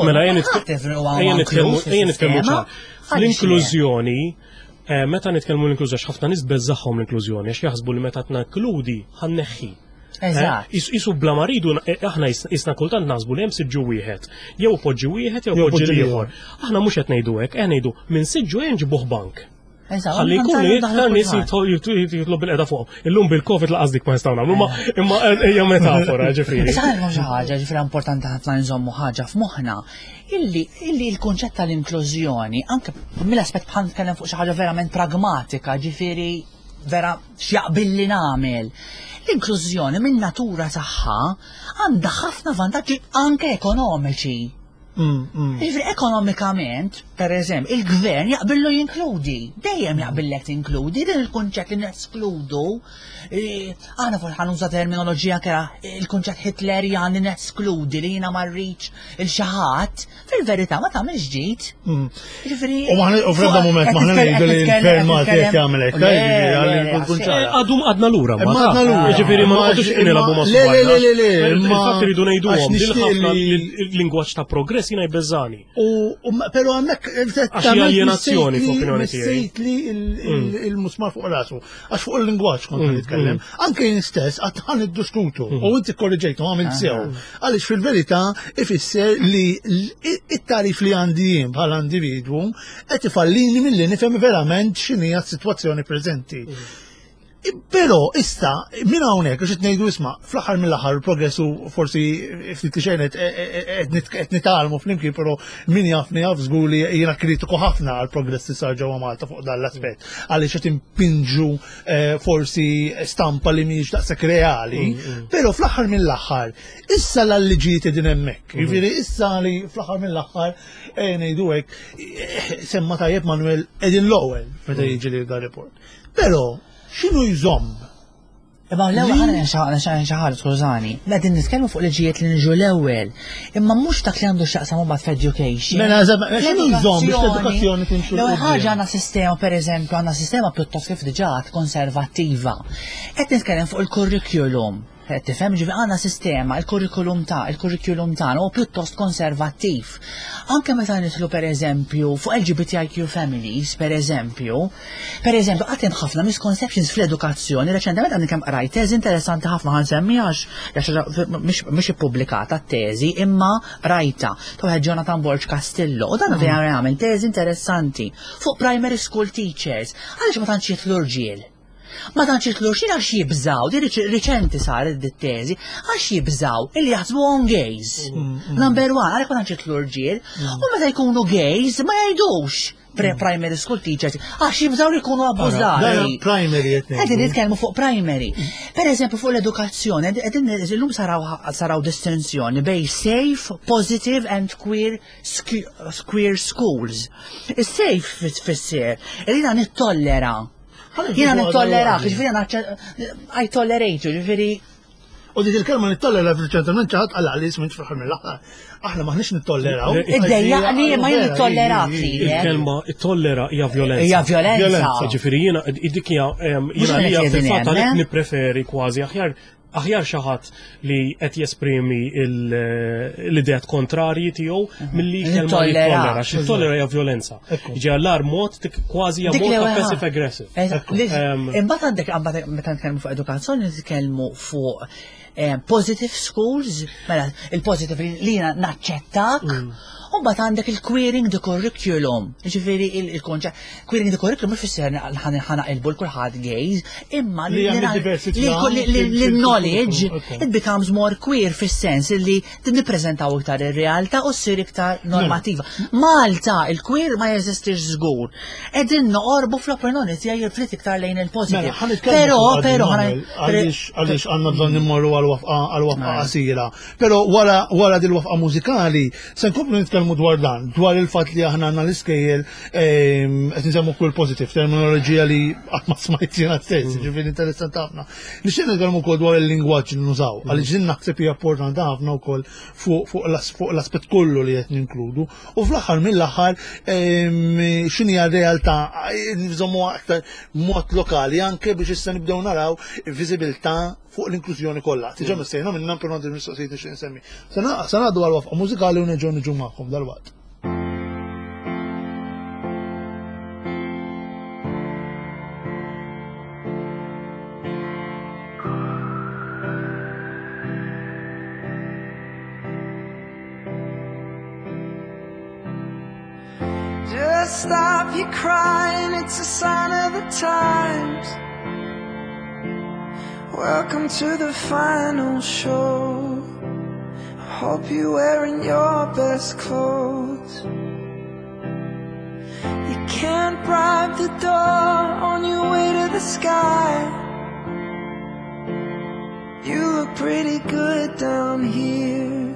mela ejja nitkellmu ċar. L-inklużjoni eh, meta nitkellmu l-inklużjoni, ħafna nies beżaħħom l-inklużjoni għax jaħsbu li meta tnakkludi ħa nneħħi. Eżatt. Isu bla ma rridu eh, aħna jisna kultant naħsbu li hemm siġġu wieħed, jew poġġi wieħed jew poġġi ieħor. Aħna mhux qed ngħidu hekk, qed ngħidu minn siġġu nġibuh bank. Ħalli jkunu iktar nies jitlob bil-qeda fuq. Illum bil-Covid lanqas dik ma nistgħu nagħmlu, imma hija metafora ġifieri. Issa xi ħaġa ġifieri importanti ħafna nżommu ħaġa f'moħħna illi illi l-kunċett tal-inklużjoni anke mill-aspett bħal nitkellem fuq xi ħaġa verament pragmatika, ġifieri vera x'jaqbilli nagħmel. L-inklużjoni minn natura tagħha għandha ħafna vantaġġi anke ekonomiċi. Mm, mm. Ġifieri ekonomikament, per eżempju, il-gvern jaqbillu jinkludi, dejjem jaqbillek tinkludi, din il-kunċett li neskludu, eh, aħna forsi ħa nuża terminoloġija kera, il-kunċett Hitlerjan li neskludi li jiena ma rridx 'il xi ħadd, fil-verità ma tagħmilx ġid. Mm. Ġifieri. U maħna u f'ebda moment maħna ngħidu li l-gvern Malti qed jagħmel hekk, ġifieri għalli nkun ċara. Għadu għadna lura, ma għadna lura. Ġifieri ma noqogħdux nilagħbu ma' Le, le, le, le, le, Il-fatt iridu ngħiduhom, għax din nixtieq ħafna li- il-lingwaġġ ta' progress jiena jbeżżani. U, u ma- pero għandek Għax hija aljenazzjoni f'opinjoni tiegħi. Missejt li il- il- il-musmar fuq rasu. Għax fuq il-lingwaġġ kont nitkellem. Anke jien stess għad ħa niddiskutu u inti korriġejtu għamilt sew. Għaliex fil-verità ifisser li l- it-tarif li għandi jien bħala individwu qed ifallini milli nifhem verament x'inhi s-sitwazzjoni preżenti. Però issa minn hawnhekk għax qed ngħidu isma' fl-aħħar mill-aħħar il-progress u forsi ftit li xejn qed qed nitgħallmu flimkien, però min jafni jaf żgur li jiena kritiku ħafna għal progress li sar ġewwa Malta fuq dan l-aspett għaliex qed impinġu eh, forsi stampa li mhijiex daqshekk reali, però fl-aħħar mill-aħħar issa l-liġijiet qegħdin hemmhekk. Jiġifieri issa li fl-aħħar mill-aħħar eh, ngħidu hekk eh, semma tajjeb Manuel qegħdin l-ewwel meta jiġi li dan report. Però x'inhu jżomm? Imma l-ewwel ħana xi ħaġa skużani. Qegħdin nitkellmu fuq liġijiet li niġu l-ewwel. Imma mhux dak li għandu x'jaqsam mbagħad f'education. Mela, eżatt, x'inhu jżomm biex l-edukazzjoni timxu L-ewwel 'l ħaġa quddiem? għandna sistema, pereżempju, għandna sistema pjuttost kif diġà konservattiva. Qed nitkellem fuq il-curriculum. Qed tifhem ġifieri għandna sistema, il-curriculum ta' il-curriculum tagħna huwa pjuttost konservattiv. Anke meta nidħlu pereżempju fuq L G B T I Q families, pereżempju, pereżempju qatt hemm ħafna misconceptions fl-edukazzjoni. Reċentement għandi kemm qrajt teżi interessanti ħafna ħa nsemmiha għax mhix mhix ippubblikata t-teżi imma rajta ta' wieħed Jonathan Borg Castillo u dan vera jagħmel teżi interessanti fuq primary school teachers għaliex ma tantx jidħlu rġiel. Ma tantx jidħlu rġiel għax jibżaw, di riċenti saret di teżi, għax jibżaw illi jaħsbuhom gays. Number one, għalhekk ma tantx jidħlu rġiel, u meta jkunu gays ma jgħidux pre-primary school teachers għax jibżaw li jkunu abbużati. Dan primary qed ngħidu. Qegħdin nitkellmu fuq primary. Per eżempju fuq l-edukazzjoni, qegħdin illum saraw saraw distinzjoni bejn safe, positive and queer queer schools. Is-safe tfisser li jiena nittollera. Jiena nittollerak, ġifieri jiena I tolerate you, ġifieri U dik il-kelma nittollera fil-ċentrament ċaħat għalla li jismin fl-aħħar mill-aħħar. Aħna maħniex nittolleraw. Iddejjaqni ma jien nitollerak lilek. Il-kelma tollera hija violenza. Hija violenza. Ġifieri jiena dik hija em, jiena Mhux hija qed fil-fatt hemm, għalhekk eh? nippreferi kważi aħjar aħjar xi ħadd li qed jesprimi l-ideat kontrarji tiegħu milli kelma Nittollera. jittollera, għax it-tollera hija violenza. Ġi għallar mod tik- kważi hija Dik mod li ta' ewwel passive aggressive. Eżatt. Li- Em, Imbagħad għandek imbagħad meta nitkellmu fuq edukazzjoni nitkellmu fuq eh, positive schools, mela il-positive li jiena naċċettak, u mbagħad għandek il-queering the curriculum. Ġifieri il-konċett queering the curriculum mhux fisser ħa naqilbu 'l kulħadd gays, imma Li hemm id-diversità li fil- knowledge fil- it becomes more queer fis-sens li nippreżentaw iktar ir-realtà u ssir iktar normativa. Malta il-queer ma jeżistix żgur. Qegħdin noqorbu fl-opinjoni tiegħi ftit iktar lejn il-positive. Mela, ħa nitkellmu Però, fuq għad però, Manuel, għaliex għaliex għandna bżonn immorru għal-waqfa għal-waqfa qasira. Però wara wara dil-waqfa mużikali se nkomplu nitkellmu dwar dan, dwar il-fatt li aħna għandna l-iskejjel ehm, qed nsemmu kull positive, terminoloġija li qatt ma smajt jiena stess, ġifieri interessanti ħafna. Nixtieq nitkellmu wkoll dwar il-lingwaġġ li nużaw, għaliex din naħseb hija importanti ħafna wkoll fuq fuq l-as- fuq l-aspett kollu li qed ninkludu. U fl-aħħar mill-aħħar ehm, x'inhi r-realtà nżommu aktar mod lokali anke biex issa nibdew naraw viżibilità fuq l-inklużjoni kollha. Diġà missejna minnha però għandi mistoqsijiet nixtieq insemmi. Se ngħaddu għal waqfa mużikali u nerġgħu niġu magħkom dalwaqt. Just stop your crying, it's a sign of the times. Welcome to the final show. I hope you're wearing your best clothes. You can't bribe the door on your way to the sky. You look pretty good down here,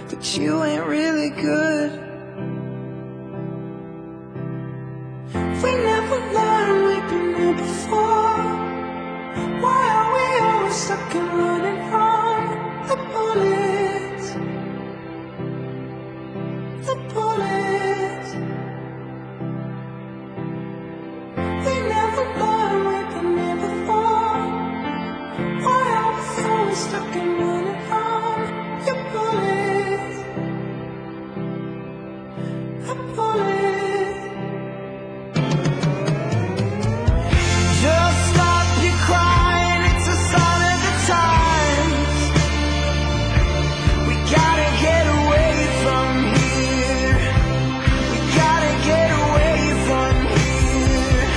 but you ain't really good. We never learned, we've been here before. Why are we always stuck and running from the bullets? The bullets. We never learned, we've been here before. Why are we always stuck and running from your bullets? The bullets. Just stop your crying, it's a sign of the times. We gotta get away from here. We gotta get away from here.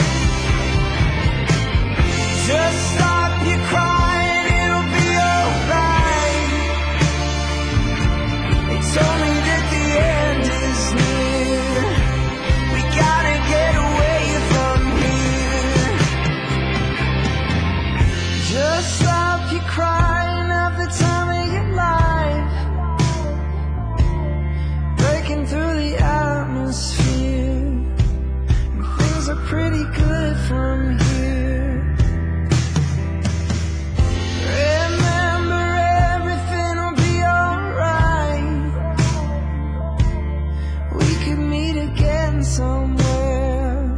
Just stop your crying, it'll be alright. They told me that the end is near. We gotta get away from here. Just stop your crying, have the time of your life. Breaking through the atmosphere. And things are pretty good from here. Remember everything will be alright. We could meet again somewhere,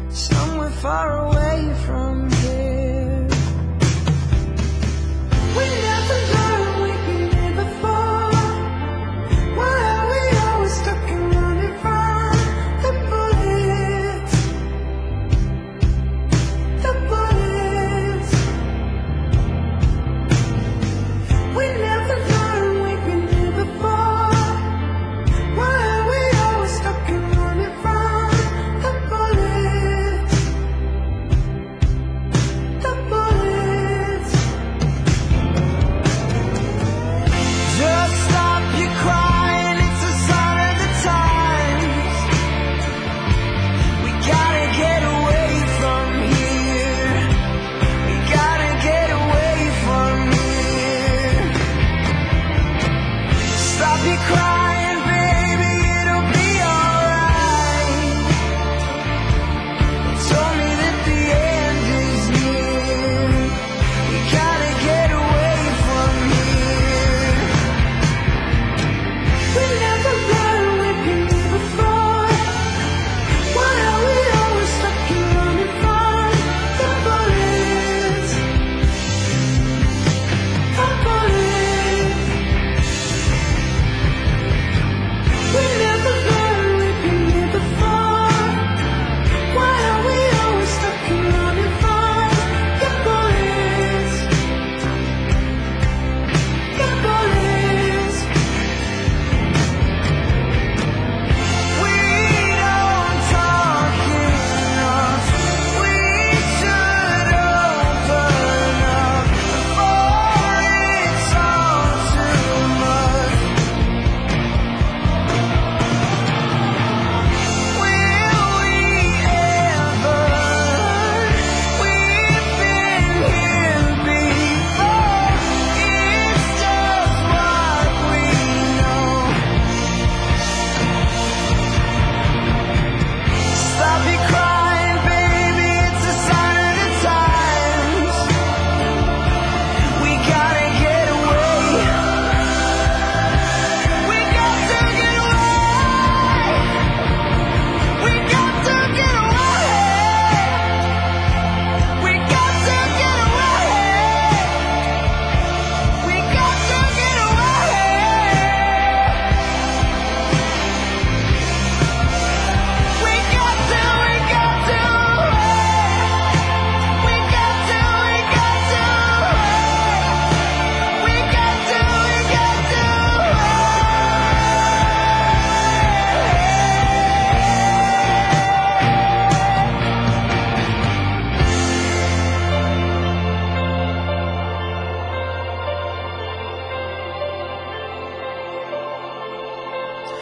somewhere far away from here.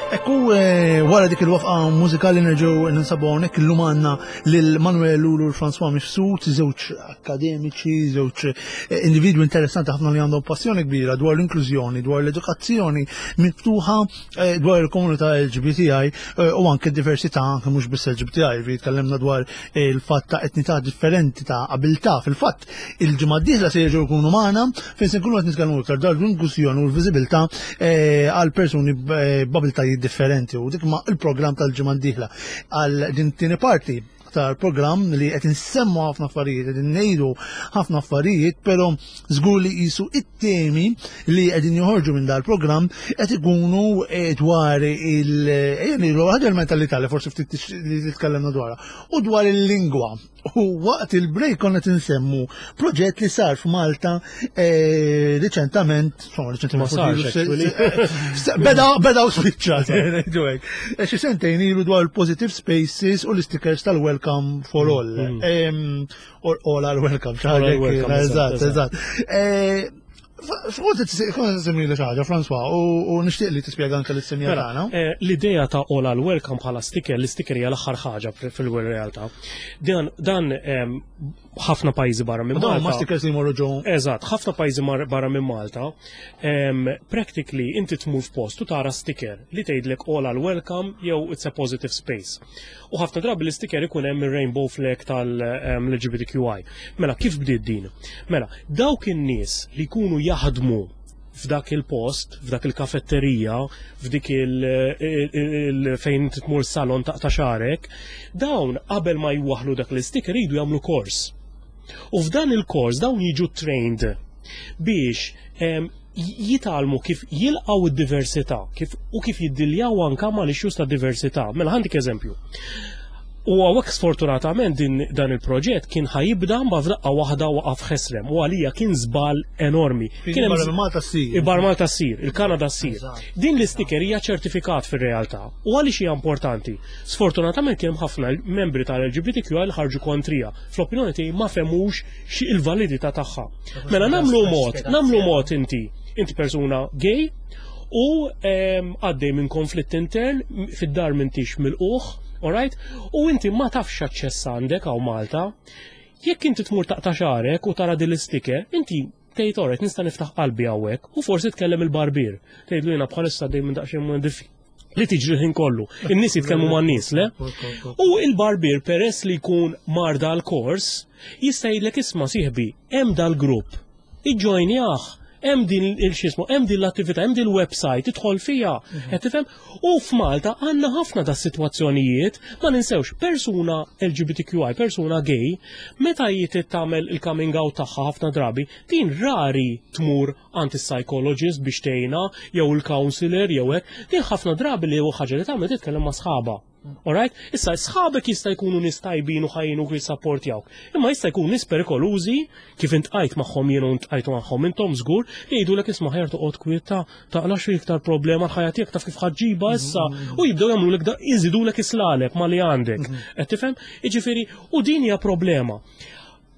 Ekku, eh, wara dik il-waqfa mużikali nerġgħu ninsabu hawnhekk. Illum għandna lil Manuel Lulu u François Mifsud, żewġ akademiċi, żewġ eh, individwi interessanti ħafna li għandhom passjoni kbira dwar l-inklużjoni, dwar l-edukazzjoni miftuħa, eh, dwar il-komunità L G B T I u anke diversità, anke mhux biss L G B T I, vi tkellimna dwar il-fatt ta' etnità differenti, ta' abilità. Fil-fatt, il-ġimgħa d-dieħla se jerġgħu jkunu magħna fejn se nkunu qed nitkellmu iktar dwar l-inklużjoni u l-viżibilità għal persuni b'abilitajiet differenti u dik ma il-programm tal-ġimgħa d-dieħla. Għal din tieni parti tal-programm li qed insemmu ħafna affarijiet, qed ngħidu ħafna affarijiet, però żgur li qisu it-temi li qegħdin joħorġu minn dal-programm qed ikunu eh, dwar il ħaġa l-mentalità li forsi ftit li titkellemna dwarha u dwar il-lingwa. U waqt il-break konna tinsemmu proġett li sar f'Malta eh, riċentament, insomma, riċentament, Ma sarx, forsi beda beda u spiċċa, ngħidu hekk. Eh, Xi sentejn ilu dwar il-positive spaces u l-stickers tal-Welcome for All. Mm. Em, Or all are welcome, xi All ħaġa are hekk welcome, kienet, eżatt, eżatt, eżatt. Eh, Kont semmi li ħaġa, François, u u nixtieq li tispjega anke lis-semmiegħa Mela, tagħna. eh, l-idea ta' All Are Welcome bħala sticker, l-sticker hija l-aħħar ħaġa fil-realtà. Dan, dan em, ħafna pajjiżi barra minn Dawn ma Malta. stickers li jmorru ġo. Eżatt, ħafna pajjiżi mar- barra minn Malta, em, practically inti tmur f'post u tara sticker li tgħidlek "All are welcome" jew "It's a positive space". U ħafna drabi l-sticker ikun hemm ir-rainbow flag tal-L G B T Q I. Mela, kif bdiet din? Mela, dawk in-nies li jkunu jaħdmu f'dak il-post, f'dak il-kafetterija, f'dik il, il, il fejn inti tmur salon taqta' xagħrek, dawn qabel ma jwaħlu dak l-sticker iridu jagħmlu kors. U f'dan il-kors dawn jiġu trained biex em, jitgħallmu kif jilqaw id-diversità, kif u kif jiddiljaw anka ma l-issues ta' diversità. Mela ħa ntik eżempju. U hawnhekk sfortunatament din dan il-proġett kien ħa jibda ma f'daqqa waħda waqaf ħesrem u għalija kien żball enormi. Kien hemm Barra minn Malta ssir. Barra Malta ssir, il-Kanada ssir. Din l-isticker hija ċertifikat fir-realtà. U għaliex hija importanti? Sfortunatament kien hemm ħafna membri tal-L G B T Q li ħarġu kontrija. Fl-opinjoni tiegħi ma fehmux xi il-validità tagħha. Mela nagħmlu mod, nagħmlu mod inti, inti persuna gay u em, għaddej minn konflitt intern, fid-dar m'intix milqugħ, alright? U inti ma tafx aċċess għandek hawn Malta. Jekk inti tmur taqta' xagħrek u tara din l-isticker, inti tgħid, "Alright, nista' niftaħ qalbi hawnhekk," u forsi tkellem il-barbier. Tgħidlu, "Jiena bħalissa għaddej minn daqsxejn minn diffi li tiġri ħin kollu. In-nies jitkellmu man-nies, le?" U il-barbier, peress li jkun mar dal-kors, jista' jgħidlek, "Isma' sieħbi, hemm dal-grupp. Iġġojnjah, hemm din il-xismu, hemm din l-attività, hemm din il-website, idħol fiha." Qed tifhem? U f'Malta għandna ħafna da sitwazzjonijiet, ma ninsewx persuna L G B T Q I, persuna gay, meta jitit tagħmel il-coming out tagħha, ħafna drabi, din rari tmur għand is-psychologist biex tgħinha jew il-counselor jew hekk, din ħafna drabi li ħaġa li tagħmel titkellem ma' sħaba. Alright? Issa, sħabek jista' jkunu nies tajbin u ħajjin u jissapportjawk. Imma jista' jkun nies perikolużi, kif iltqajt magħhom jien u iltqajtu magħhom intom żgur, li jgħidulek, "Isma', aħjar toqgħod kwieta, taqlax iktar problema l-ħajja tiegħek, taf kif ħa ġġibha issa," u jibdew jagħmlulek da jżidulek islaleb ma li għandek. Qed tifhem? Jiġifieri, u din hija problema.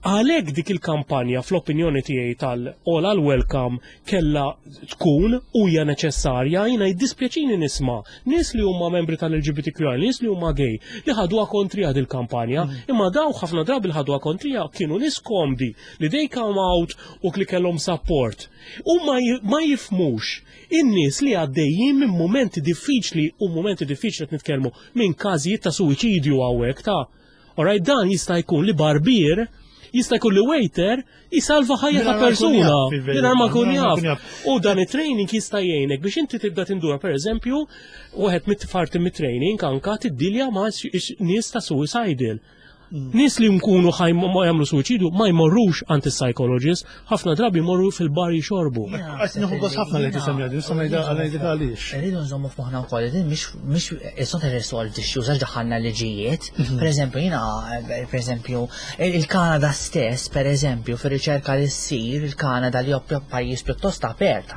Għalhekk dik il-kampanja, fl-opinjoni tiegħi, tal-All Are Welcome kella tkun u hija neċessarja. Jiena jiddispjaċini nisma' nies li huma membri tal-L G B T Q I, nies li huma gay, li ħaduha kontrija dil-kampanja, imma daw ħafna drabi li ħaduha kontrija kienu nies komdi li they come out u li kellhom support. U ma ji- ma jifhmux in-nies li għaddejjin minn momenti diffiċli, u momenti diffiċli qed nitkellmu minn każijiet ta' suwiċidju hawnhekk ta'. Alright, dan jista' jkun li barbier, jista' jkun li waiter jisalva ħajja ta' Mingħajr ma jkun persuna. jaf, fil-verità. Mingħajr ma jkun Mingħajr ma jkun jaf. jaf. U dan it-training jista' jgħinek biex inti tibda tindura, per eżempju, wieħed mit-parti mit-training anka tiddilja ma' x- nies ta' suicidal. Nies li nkunu ħaj ma jagħmlu suwiċidju ma jmorrux għand is-psychologist, ħafna drabi jmorru fil-bar jixorbu. Għax nieħu gost ħafna li tisemmi għadi, nista' ngħidha ngħidha għaliex. Rridu nżommu f'moħħna wkoll li din mhix mhix it's not a resolved issue għax daħħalna liġijiet. Per eżempju, jiena, per eżempju, il-Kanada stess, per eżempju, fir-riċerka li ssir, il-Kanada li huwa pajjiż pjuttost apert,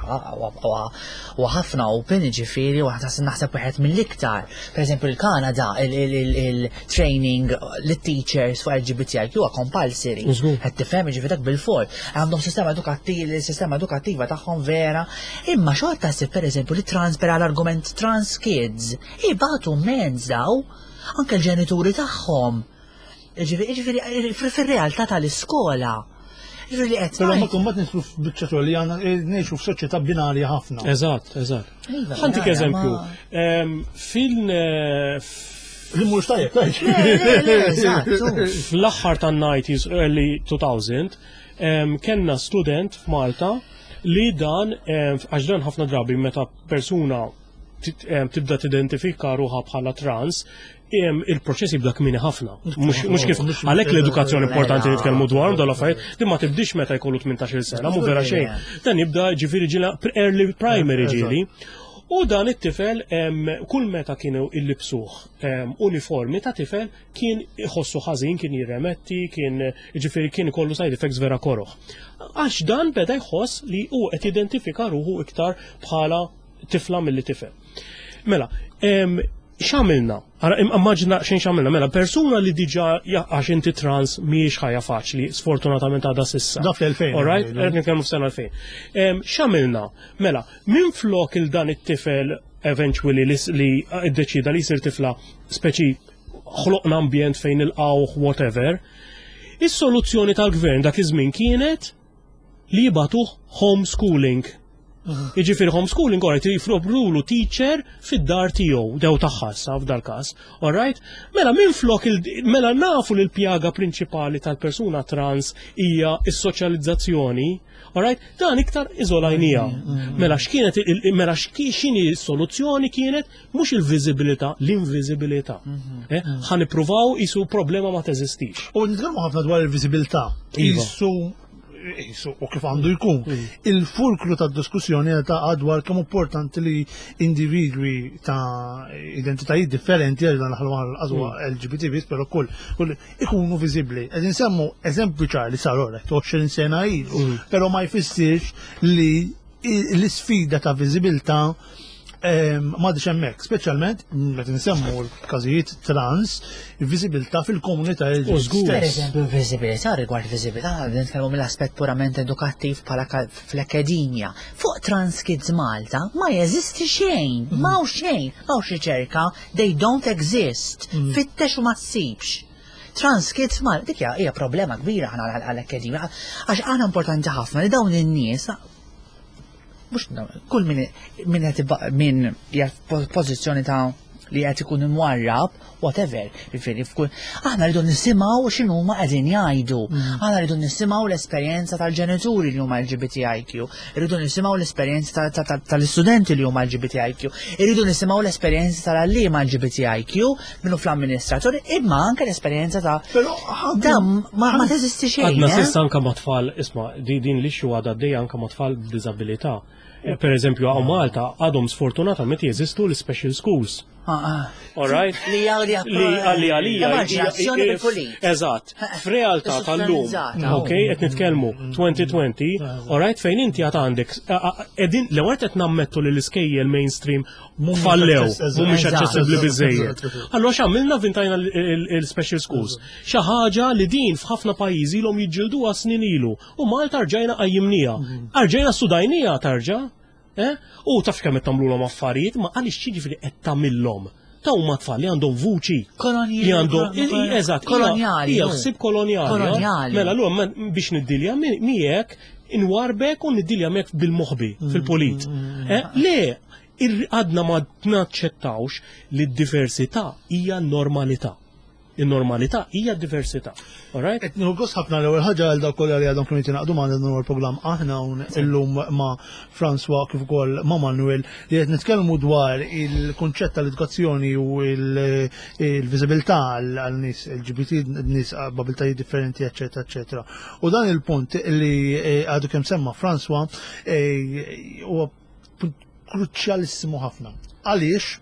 u ħafna open, ġifieri, u naħseb wieħed mill-iktar. Per eżempju, il-Kanada, il-training li teachers fuq L G B T I Q huwa compulsory. Żgur. Qed tifhem, ġifieri dak bil-for. Għandhom sistema edukattiv, sistema edukattiva tagħhom vera. Imma xorta ssib, pereżempju, li trans, per għall-argument, trans kids ibatu mens daw, anke l-ġenituri tagħhom. Ġifieri ġifieri fir-realtà tal-iskola. Ġifieri li qed Però ma ngħid- kumbat nidħlu f'biċċa xogħol li għandna eh, ngħixu f'soċjetà binarja ħafna. Eżatt, eżatt. Iva, Ħa ntik binarja, eżempju. ma- Em, Fil eh, Li mhux tajjeb, tajjeb. Le, le, le, eżatt, u. Fl-aħħar tan-nineties, early two thousand, em, kellna student f'Malta li dan, em, għax dan ħafna drabi meta persuna tit- em, tibda tidentifika ruħha bħala trans, em, il-proċess jibda kmieni ħafna. Mhux mhux kif Mhux- għalhekk l-edukazzjoni importanti Mela. nitkellmu dwar dawn l-affarijiet, din ma tibdix meta jkollu tmintax-il sena, mhu vera xejn. Dan jibda ġifieri ġila early primary ġieli. U dan it-tifel em, kull meta kienu illibsuh em, uniformi ta' tifel kien iħossu ħażin, kien jirremetti, kien ġifieri kien ikollu side effects vera koroħ. Għax dan beda jħoss li hu qed identifika ruħu iktar bħala tifla milli tifel. Mela, em, x'għamilna? Ara, immaġina xejn x'għamilna. Mela, persuna li diġà ja- għax inti trans mhijiex ħajja faċli, sfortunatament għadha s'issa. Da fl-elfejn, All right, ngħidu. qed nitkellmu f'sena elfejn. Em, X'għamilna? Mela, minn flok il dan it-tifel eventually li, li iddeċida li jsir tifla, speċi ħloqna ambjent fejn il-qawħ whatever, is-soluzzjoni tal-gvern dak iż-żmien kienet li jibagħtuh homeschooling. Jiġifieri homeschooling, alright, jipprovdulu teacher fid-dar tiegħu, jew tagħha sa f'dal każ. Alright? Mela minn flok il mela nafu li l-pjaga prinċipali tal-persuna trans hija s-soċjalizzazzjoni, alright? Dan iktar iżolajnija. Mela x'kienet il- mela x'ki x'inhi s-soluzzjoni kienet mhux il-viżibilità, l-inviżibilità. Eh? Ħa nippruvaw isu problema ma teżistix. U nitkellmu ħafna dwar il-viżibilità. Iva. Isu isu u kif għandu jkun. Il-fulkru ta' diskussjoni ta' dwar kemm importanti li individwi ta' identitajiet differenti, għal dan l-għazwa L G B T biss, pero kull, kull ikunu viżibbli. Qed insemmu eżempju ċar li sar ora, għoxrin sena ilu, pero ma jfissirx li i- l-isfida ta' viżibilità m'għadhiex hemmhekk, speċjalment meta nsemmu l-każijiet trans, il-viżibilità fil-komunità U żgur. Per eżempju, viżibilità, rigward viżibilità, nitkellmu mill-aspett purament edukattiv bħala ka- fl-akkademja. Fuq Trans Kids Malta ma jeżisti xejn, ma hawn xejn, ma hawnx riċerka, they don't exist. Fittex u ma ssibx. Trans Kids Malta, dik hija hija problema kbira ħana għall-akkademja, għax għana importanti ħafna li dawn in-nies, mhux dawn- kull min min qed iba- min hija pożizzjoni ta' li qed ikun imwarrab, whatever, jiġifieri f'kull aħna rridu nisimgħu x'inhuma qegħdin jgħidu. Aħna rridu nisimgħu l-esperjenza tal-ġenituri li huma L G B T I Q, rridu nisimgħu l-esperjenza ta- ta- ta- tal-istudenti li huma L G B T I Q, irridu nisimgħu l-esperjenza tal-għalliema L G B T I Q minnu fl-amministratori, imma anke l-esperjenza ta' Però da ma ma teżisti xejn. Għadna eh? s'issa anka ma' tfal, isma', di din l-issue għadha għaddejja anka ma' tfal b'diżabilità. Eh, Per eżempju, hawn Malta għadhom sfortunatament jeżistu l-special schools. Ah, ah. All right? Li għalli Li għalli għalija. Emarġinazzjoni bil-pulit. Eżatt. F'realtà tal-lum. Istituzzjonalizzata. Ok, qed nitkellmu elfejn u għoxrin, all right, fejn inti għad għandek, qegħdin l-ewwel qed nammettu li l-iskejjel mainstream fallew, aċċess- mhumiex Eżatt. aċċessibbli biżejjed. Eżatt. Allura x'għamilna? Vintajna l-special schools. Xi ħaġa li din f'ħafna pajjiżi ilhom jiġġilduha snin ilu. U Malta rġajna qajjimnija. Rġajna sudajnija tarġa'. Eh? U taf kemm qed tagħmluhom affarijiet, ma għaliex xiġifieri qed tagħmilhom? Ta' huma tfal li għandhom vuċi. Kolonji- Li għandhom, eżatt, Kolonjali, Hija hu. ħsieb kolonjali. Kolonjali. Mela, allura ma- biex niddilja mi- miegħek inwarbek u niddilja miegħek bil-moħbi fil-polit. Eh, Le, ir- għadna ma naċċettawx li d-diversità hija normalità. Il-normalità hija diversità. Alright? Qed nieħu gost ħafna, l-ewwel ħaġa, għal dawk kollha li għadhom kienu jingħaqdu magħna dan huwa l-programm aħna hawn illum ma' François kif ukoll ma' Manuel, li qed nitkellmu dwar il-kunċett tal-edukazzjoni u il- il-viżibilità għal nies L G B T, nies b'abilitajiet differenti, eċetera, eċetera. U dan il-punt li eh, għadu kemm semma François eh, huwa punt kruċjalissimu ħafna. Għaliex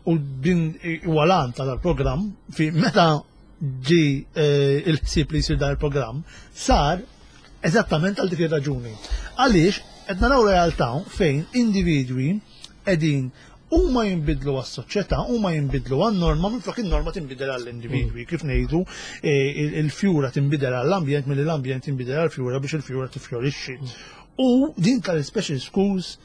u din huwa l-għan tal-programm, fi meta ġi eh, il-ħsieb li jsir dan il-programm sar eżattament għal dik ir-raġuni. Għaliex qed naraw realtà fejn individwi qegħdin Huma jinbidlu għas-soċjetà, huma jinbidlu għan-norma, minflok in-norma tinbidel għall-individwi, kif ngħidu eh, il- il-fjura tinbidel għall-ambjent milli l-ambjent tinbidel għall-fjura biex il-fjura tifjorixxi. U din tal-special schools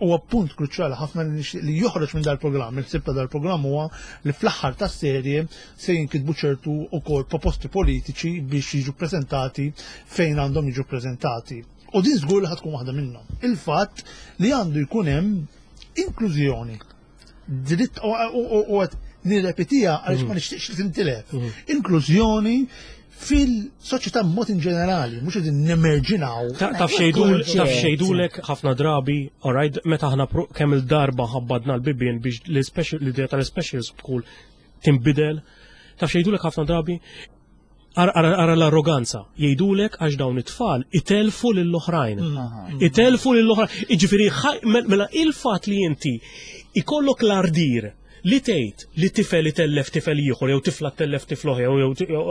huwa punt kruċjali ħafna li nixtieq li joħroġ minn dal-programm. Il-ħsieb ta' dal-programm huwa li fl-aħħar tas-serje se jinkitbu ċertu ukoll proposti politiċi biex jiġu prezentati fejn għandhom jiġu prezentati. U din żgur li ħa tkun waħda minnhom. Il-fatt li għandu jkun hemm inklużjoni. Dritt u qed nirrepetiha għaliex ma nixtieqx li tintilef. Inklużjoni fil-soċjetà mod in ġenerali, mhux qegħdin nemerġinaw. Taf x'jgħidulek ħafna drabi, alright, meta aħna kemm il-darba ħabbadna l-bibien biex l-idea tal-special school tinbidel, taf x'jgħidulek ħafna drabi, ara l-arroganza, jgħidulek għax dawn it-tfal itelfu lill-oħrajn. Itelfu lill-oħrajn. Jiġifieri mela il-fatt li inti ikollok l-ardir li tgħid li tifel itellef tifel ieħor jew tifla tellef tifel jew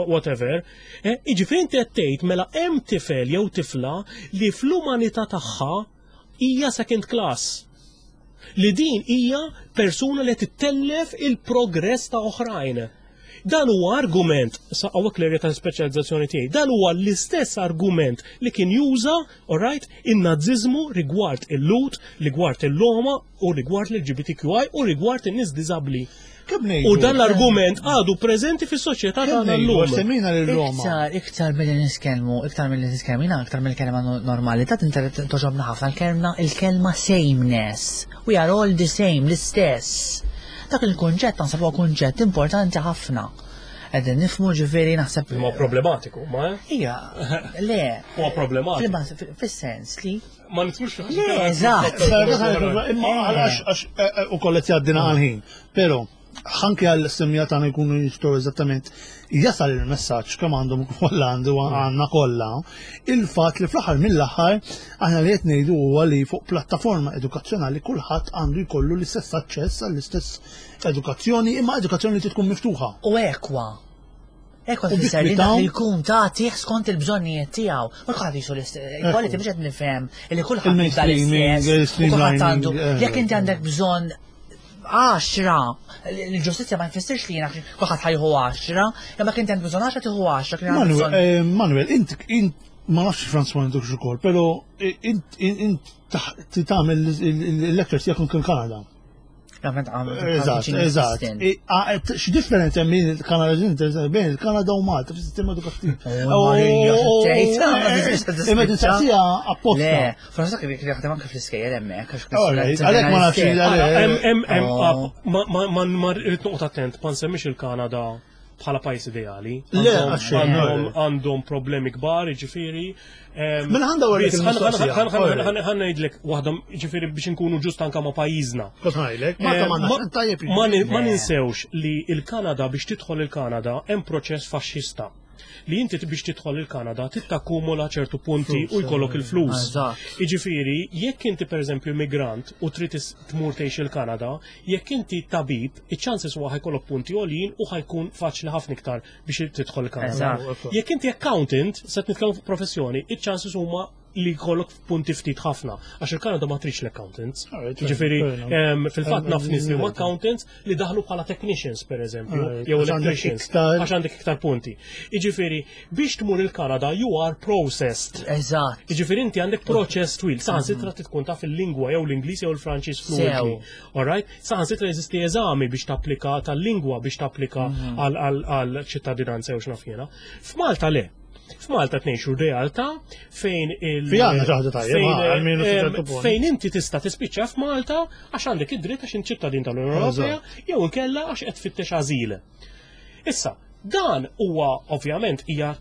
whatever, eh, jiġifieri inti qed tgħid mela hemm tifel jew tifla li fl-umanità tagħha hija second class. Li din hija persuna li tittellef il-progress ta' oħrajn. Dan huwa argument, sa hawnhekk l-erja ta' speċjalizzazzjoni tiegħi, dan huwa l-istess argument li kien juża, alright, in-naziżmu rigward il-Lhud, rigward il-Roma u rigward l-L G B T Q I u rigward in-nies diżabbli. U dan l-argument għadu preżenti fis-soċjetà tagħna llum. Semmina lil-Roma. Iktar, iktar milli nitkellmu, iktar milli nitkellmu, jiena iktar mill-kelma normali, ta' togħġobna ħafna l-kelma il-kelma sameness. We are all the same, l-istess. Dak il-kunċett naħseb huwa kunċett importanti ħafna. Qegħdin nifhmu, ġifieri naħseb. Ma problematiku, ma? Ija, le. Huwa problematiku. Fis-sens li. Ma nidħlux. Le, eżatt. Imma għax u kollet jgħaddina għal-ħin. Pero, anke għal-semmiegħa tagħna jkunu jistgħu eżattament jasal il-messaġġ kemm għandhom kollha, għandu għandna kollha il-fatt li fl-aħħar mill-aħħar aħna li qed ngħidu huwa li fuq plattaforma edukazzjonali kulħadd għandu jkollu l-istess aċċess għall-istess edukazzjoni, imma edukazzjoni li tkun miftuħa. U ekwa. Ekwa tfisser li dak li jkun tagħtih skont il-bżonnijiet tiegħu. Ma kulħadd jisu l-equality biex qed nifhem li kulħadd jibda l-istess. Kulħadd għandu. Jekk inti għandek bżonn għaxra, l-ġustizzja ma jfissirx li jiena kulħadd ħa jieħu għaxra, imma kien għandek bżonn għaxra tieħu għaxra. Manuel, eh, Manuel, int int ma nafx François għandek ukoll, però int int tagħmel il-lectures tiegħek il-Kanada. Eżatt, eżatt. X'differenza hemm bejn il-Kanada bejn il-Kanada u Malta fis-sistema edukattiv? Imma tinsaqsija apposta. Le, François kif jaħdem anke fl-iskejjel hemmhekk. Għalhekk ma nafx. Ma ma rrid noqgħod attent ma nsemmix il-Kanada bħala pajjiż ideali. Le, għandhom problemi kbar, ġifieri. Mela għandha għarek il-mistoqsija. Ħa ngħidlek waħda, ġifieri biex inkunu ġust anka ma' pajjiżna. Ma ninsewx li il-Kanada, biex tidħol il-Kanada hemm proċess faxxista li inti biex tidħol il-Kanada tittakkumula ċertu punti u jkollok il-flus. Jiġifieri, jekk inti pereżempju migrant u trid tmur tgħix il-Kanada, jekk inti tabib, iċ-chances huwa ħa jkollok punti għoljin u ħa jkun faċli ħafna iktar biex tidħol il-Kanada. Jekk inti accountant, se nitkellmu fuq professjoni, iċ-chances huma li jkollok punti ftit ħafna, għax il-Kanada ma tridx l-accountants. Ġifieri, fil-fatt naf nies li huma accountants li daħlu bħala technicians per eżempju, jew electricians, għax għandek iktar punti. Jiġifieri, biex tmur il-Kanada you are processed. Eżatt. Jiġifieri inti għandek proċess twil, saħansitra tkun taf il-lingwa jew l-Ingliż jew il-Franċiż fluently. Alright? Saħansitra jeżisti eżami biex tapplika tal-lingwa biex tapplika għal ċittadinanza jew x'naf jiena. F'Malta le. F'Malta tnejxu realtà fejn il- fejn inti tista' tispiċċa f'Malta għax għandek id-dritt, għax ċittadin tal-Unjoni Ewropea, jew inkella għax qed tfittex ażil. Issa, dan huwa ovvjament hija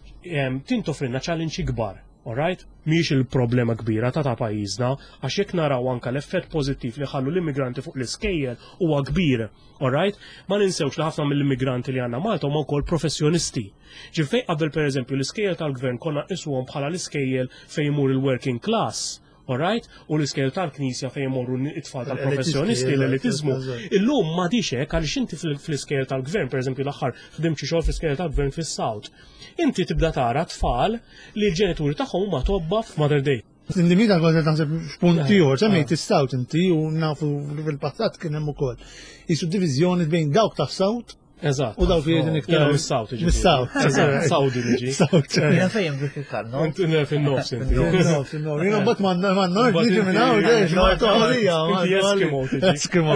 toffrilna challenge kbar. Alright? Mhix il-problema kbira ta' ta' pajjiżna, għax jekk naraw anka l-effett pożittiv li ħallu l-immigranti fuq l-iskejjel huwa kbir. Alright? Ma ninsewx li ħafna mill-immigranti li għandna Malta huma wkoll professjonisti. Ġifieri qabel pereżempju l-iskejjel tal-gvern konna nqisuhom bħala l-iskejjel fejn imur il-working class. Alright? U l-iskejjel tal-knisja fejn imorru it-tfal tal-professjonisti, l-elitizmu. Illum ma hekk, għaliex inti fl-iskejjel tal-gvern, pereżempju l-aħħar ħdimt xi xogħol fl-iskejjel tal-gvern fis-South. Inti tibda tara tfal li l-ġenituri tagħhom huma tobba f'Mater Dei. Limita kont naħseb x'punt ieħor, semmejt is-South inti u nafu fil-passat kien hemm ukoll. Jisu diviżjoni bejn dawk ta' South Eżatt. u dawk li qegħdin iktar. Jiena mis-South, jiġifieri. Mis-South. Eżatt, Saudi niġi. South. Jiena fejn dik il-karno. Inti fin-nofs inti. Nofs, nofs. Jiena mbagħad ma ma nord niġi minn hawn, dejx, ma toħolija. Inti Eskimo tiġi. Eskimo.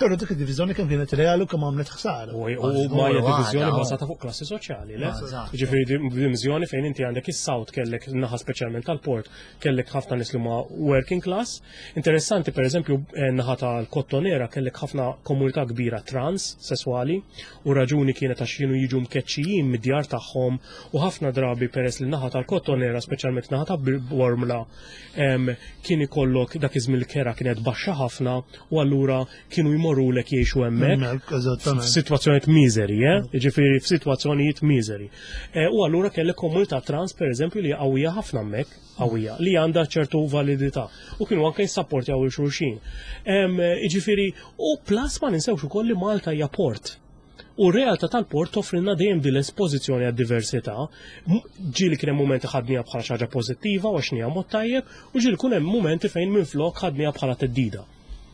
Però dik id-diviżjoni kemm kienet reali u kemm għamlet ħsara. U u ma hija diviżjoni għada, bażata fuq klassi soċjali, le? Eżatt. Ġifieri diviżjoni fejn inti għandek is-South kellek naħa speċjalment tal-port, kellek ħafna nies li huma working class. Interessanti pereżempju eh, naħa tal-Kottonera kellek ħafna komunità kbira trans sesswali u raġuni kienet għax kienu jiġu mkeċċijin mid-djar tagħhom u ħafna drabi peress li naħa tal-Kottonera, speċjalment naħa ta' Bormla, em, kien ikollok dak iż-żmien il-kera kienet baxxa ħafna u allura kienu jmorrulek jgħixu hemmhekk Hemmhekk, eżattament. f'sitwazzjonijiet miżeri, eh? Ġifieri f'sitwazzjonijiet miżeri. Eh, U allura kellek komunità trans pereżempju li qawwija ħafna hemmhekk, qawwija, li għandha ċertu validità u kienu anke jissapportjaw il xulxin. Em, Ġifieri, u plus ma ninsewx ukoll li Malta hija port. U r-realtà tal-port toffrilna dejjem din l-espożizzjoni għad-diversità. M- Ġieli kien hemm mumenti ħadniha bħala xi ħaġa pożittiva u għax mod tajjeb, u ġieli kien hemm mumenti fejn minflok ħadniha bħala theddida.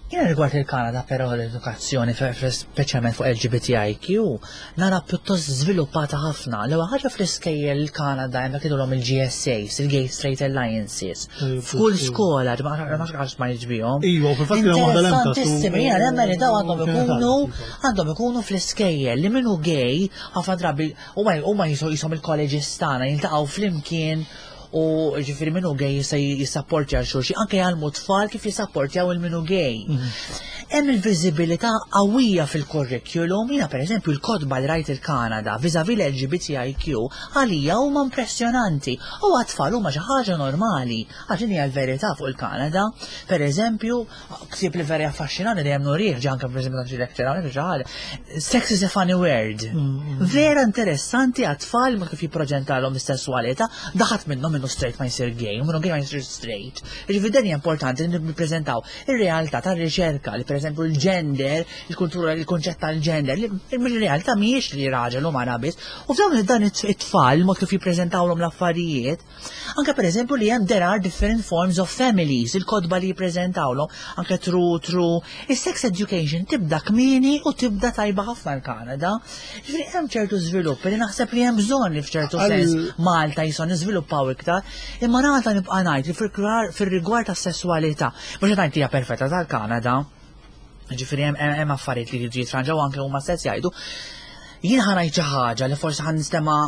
Jiena rigward il-Kanada però l-edukazzjoni, fe- fe- speċjalment fuq L G B T I Q, nara pjuttost żviluppata ħafna. L-ewwel ħaġa, fl-iskejjel il-Kanada hemm jgħidulhom il-G S As, il-Gay Straight Alliances. F'kull skola, ma nafx għax ma jiġbihom. Iva, u fil-fatt kien hemm waħda l-Emka, su- Interessantissimi, jiena nemmen li daw għandhom kienet ikunu għadha. għandhom ikunu fl-iskejjel li minnu gay ħafna drabi huma huma jisom il-colleges tagħna jiltaqgħu flimkien u ġifieri minnu gay jista' jissapportja għal xulxin, anke jgħallmu tfal kif jissapportjaw il-minnu gay. Hemm il-viżibilità qawwija fil-curriculum, jiena pereżempju l-kotba li rajt il-Kanada vis-à-vis l-L G B T I Q għalija huma impressjonanti. U għat-tfal huma xi ħaġa normali, għax din hija l-verità fuq il-Kanada. Per eżempju, ktieb li vera affaxxinani li hemm nurih ġi anke pereżempju xi lecture hawnhekk xi ħaġa. Sex is a Funny Word. Vera interessanti għat-tfal ma kif jippreżentalhom is-sessualità, daħat minnhom minnu straight ma jsir gay, u minnu gay ma jsir straight. Ġifieri dan hija importanti li nippreżentaw ir-realtà tar-riċerka li pereżempju il-gender, il-kultura, il-konċett tal-gender, li il-realtà mhijiex li raġel u mara biss. U f'dawn dan it-tfal, mod kif jippreżentawlhom l-affarijiet, anke pereżempju li hemm there are different forms of families, il-kotba li jippreżentawlhom, anke through through is-sex education tibda kmieni u tibda tajba ħafna l-Kanada. Ġifieri hemm ċertu żviluppi li naħseb li hemm bżonn li f'ċertu Għal- sens Malta jison niżviluppaw iktar, imma Malta nibqa' ngħid li fil- fil-rigward tas-sessualità, mhux qed ngħid hija perfetta tal-Kanada, ġifieri hemm hemm affarijiet li jiġu jitranġaw anke huma stess jgħidu. Jien ħa ngħid xi ħaġa li forsi ħa nistema'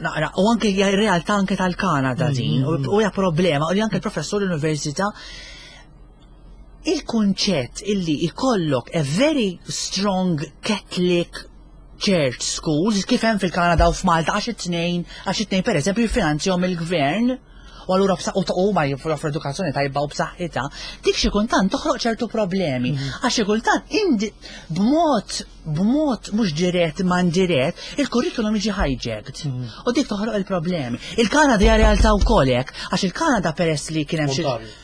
naqra, u anke hija realtà anke tal-Kanada din, u u hija problema, u li anke l-professur l-università, il-kunċett illi ikollok a very strong Catholic church schools kif hemm fil-Kanada u f'Malta, għax it-tnejn għax it-tnejn pereżempju jiffinanzjahom il-gvern u allura bsa- u ta' huma joffru edukazzjoni tajba u b'saħħitha, dik xi kultant toħloq ċertu problemi. Għax xi kultant indi b'mod b'mod mhux dirett ma indirett il-kurrikulum jiġi hijacked. U dik toħloq il-problemi. Il-Kanada hija realtà wkoll hekk, għax il-Kanada peress li kien hemm xi Ontario.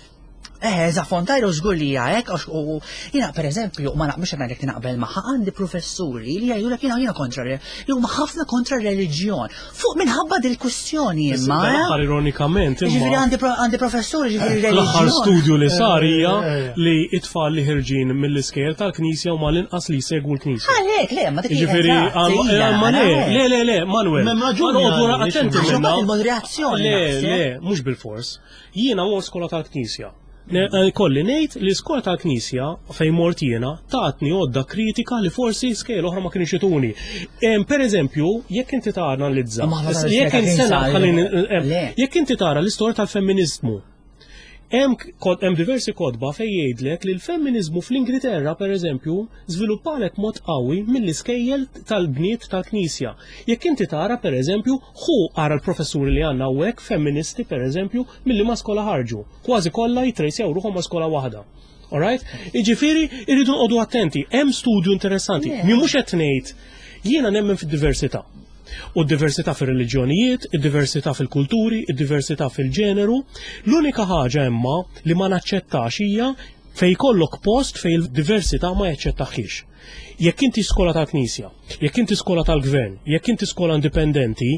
Eh, za Ontario żgur li hija hekk, għax u u- jiena pereżempju ma naqbilx ngħidlek li naqbel magħha, għandi professuri li jgħidulek jiena jiena kontra li huma ħafna kontra reliġjon. Fuq minħabba dil-kwistjoni imma. eh? L-aħħar ironikament Ġifieri imma għandi pro- għandi professuri ġifieri l-aħħar reliġjon. studju li sar hija Eh, eh, eh. li it-tfal li ħirġin mill-iskejjel tal-Knisja huma l-inqas li jsegwu l-Knisja. Għalhekk, le, ma dik hija Ġifieri, eżatt, għal- hija, eh, ma le, għalhekk. le, le, le, Manuel. M'hemm raġuni Ma noqogħdu għaliex. attenti Għax minna. imbagħad il-moderazzjoni Le, naħseb. le, mhux bil-fors. Jiena mort skola tal-Knisja. Ne- eh, Kolli ngħid li skola tal-Knisja fejn mort jiena tatni għodda kritika li forsi skejjel oħra ma kienx ituni. Em, Per eżempju, jekk inti tara analizza, Ma ħafna jekk tal-iskejjel sena tal-Knisja, ħallini- em, le. jekk inti tara l-istorja tal-femminizmu, Hemm kod- hemm diversi kotba fejn jgħidlek li l-femminizmu fl-Ingilterra pereżempju żviluppalek mod qawwi mill-iskejjel tal-bniet tal-Knisja. Jekk inti tara pereżempju hu ara l-professuri li għandna hawnhekk femministi pereżempju milli ma skola ħarġu. Kważi kollha jitrejsjaw ruħhom ma skola waħda. Alright? Jiġifieri irridu nqogħdu attenti. Hemm studju interessanti. Mi mhux qed ngħid jiena nemmen fid-diversità. U d-diversità fil-reliġjonijiet, id-diversità fil-kulturi, id-diversità fil-ġeneru. L-unika ħaġa imma li ma naċċettax hija Fejn ikollok post fejn il-diversità ma jaċċettaħiex. Jekk inti skola tal-Knisja, jekk inti skola tal-Gvern, jekk inti skola indipendenti,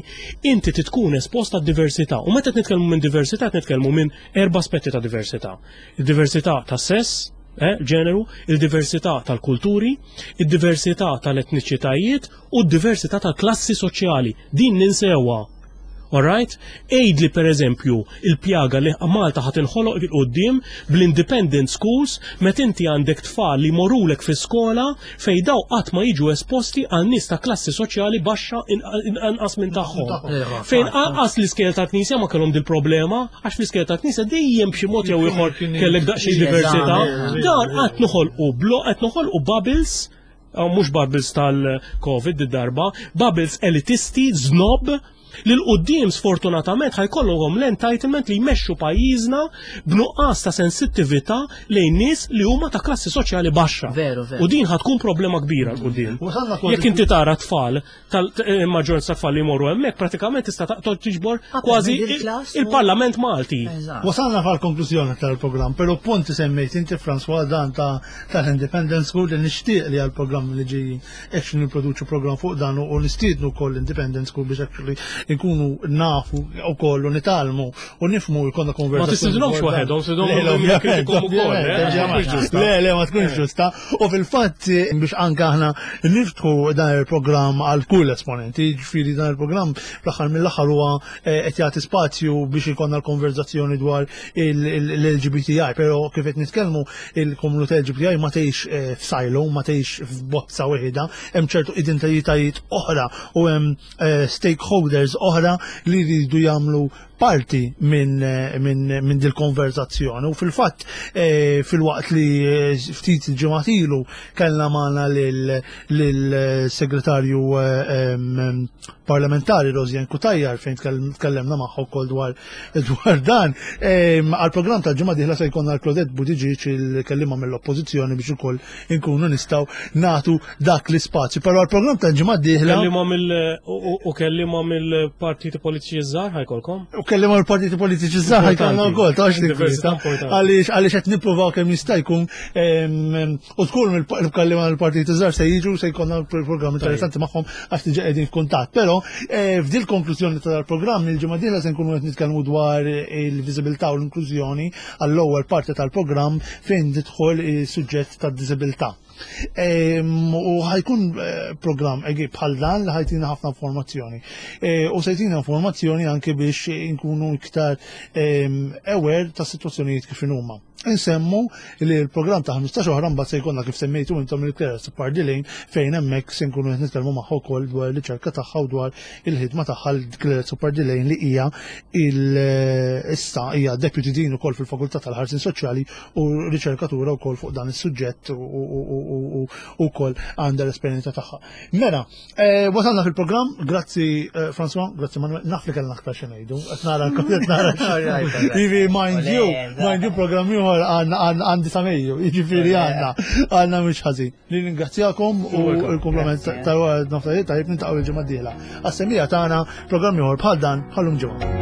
inti titkun esposta diversità. U meta nitkellmu minn diversità, nitkellmu minn erba' aspetti ta' diversità. Il-diversità ta' sess, eh, ġeneru, il-diversità tal-kulturi, il-diversità tal-etniċitajiet u d-diversità tal-klassi soċjali. Din ninsewha. Alright? Għidli, per eżempju, il-pjaga li Malta ħa tinħoloq 'il quddiem bl-independent schools, met inti għandek tfal li morulek fi skola fejn daw qatt ma jiġu esposti għal nies ta' klassi soċjali baxxa, inqas minn tagħhom. Fejn anqas l-iskejjel ta' Knisja ma kellhom dil-problema, għax fl-iskejjel ta' Knisja dejjem b'xi mod jew ieħor kellek daqsxejn diversità. Dan qed noħolqu blo qed noħolqu bubbles, mhux bubbles tal-Covid id-darba, bubbles elitisti, snob, li 'l quddiem sfortunatament ħa jkollhom l-entitlement li jmexxu pajjiżna b'nuqqas ta' sensittività lejn nies li huma ta' klassi soċjali baxxa. Veru, veru. U din ħa tkun problema kbira 'l quddiem. Wasalna kważi- Jekk inti tara tfal tal-maġġoranza tfal li jmorru hemmhekk, pratikament tista' taqtol tiġbor Upper kważi middle class u- il-Parlament Malti. Eżatt. Wasalna fal-konklużjoni tal-programm, pero punti semmejt inti, François, dan ta' tal-Independent School, li nixtieq li għal-programm li ġejjin actually nipproduċu program fuq dan u nistiednu wkoll Independent School biex actually nkunu nafu u koll u nitgħallmu u nifhmu, jkollna konversazzjoni Ma tistidinhomx dwar dan. waħedhom, stidinhom Le, le, ovvjament, jikkritikom ukoll, ovvjament, eh? ovvjament. Ma tkunx ġusta. Le, le, ma tkunx ġusta. U fil-fatt biex anka aħna niftħu dan il-programm għal kull esponenti, ġifieri dan il-programm fl-aħħar mill-aħħar huwa eh, qed jagħti spazju biex ikollna l-konverzazzjoni dwar l-L G B T I, però kif qed nitkellmu, il-komunità L G B T I ma tgħix eh, f'silo, ma tgħix f'bozza waħda, hemm ċertu identitajiet oħra u hemm eh, stakeholders oħra li jridu jagħmlu parti minn min, min dil-konverzazzjoni. U fil-fatt, eh, fil-waqt li eh, ftit ġimgħat ilu kellna magħna lil-segretarju eh, em, parlamentari Rosianne Cutajar, fejn tkellem- tkellemna magħha wkoll dwar dwar dan. Em, Għal-programm tal-ġimgħa dieħla se jkollna l-Claudette Buttigieg, il-kellima mill-Oppożizzjoni, biex ukoll inkunu nistgħu nagħtu dak l-ispazju. Però għal-programm tal-ġimgħa dieħla Kellima mill u u kellima mill-partiti politiċi żgħar ħa jkollkom? U kellima l-partiti politiċi żgħar ħa jkollna wkoll, tax Diversità importanti. Għaliex għaliex qed nippruvaw kemm jista' jkun em, u tkun mill-kellima l-partiti żgħar se jiġu, se jkollna programm interessanti magħhom għax diġà qegħdin f'kuntatt. Però eh, f'dil konklużjoni tal-programm, il-ġimgħa dieħla se nkunu qed nitkellmu dwar il-viżibilità u l-inklużjoni għall-ewwel parti tal-programm fejn tidħol is-suġġett tad-diżibilità. Em, U ħa jkun eh, programm egi bħal dan li ħa jtina ħafna informazzjoni. Eh, U se jtina informazzjoni anke biex inkunu iktar em, aware ta' situazzjonijiet kif huma. Insemmu li l-programm ta' ħmistax oħra mbagħad se jkollna, kif semmejtu intom, il-Claire Pardilane, fejn hemmhekk se nkunu qed nitkellmu magħha wkoll dwar il-riċerka tagħha u dwar il-ħidma tagħha, l-Claire Pardilane li hija il issa hija deputy dean ukoll fil-Fakultà tal-Ħarsien Soċjali u riċerkatura wkoll fuq dan is-suġġett u u wkoll għandha l-esperjenza tagħha. Mela, eh, wasalna fil-programm, grazzi eh, François, grazzi Manuel, naf li kellna aktar xi ngħidu, qed nara qed nara. Jivi, mind you, mind you, programm ieħor għandna għandi sa Mejju, jiġifieri għandna għandna mhux ħażin. Nirringrazzjakom u l-kumplament tal-noftajiet tajjeb, niltaqgħu il-ġimgħa d-dieħla. Għas-semmiegħa tagħna, programm ieħor bħal dan bħal-lum ġimgħa.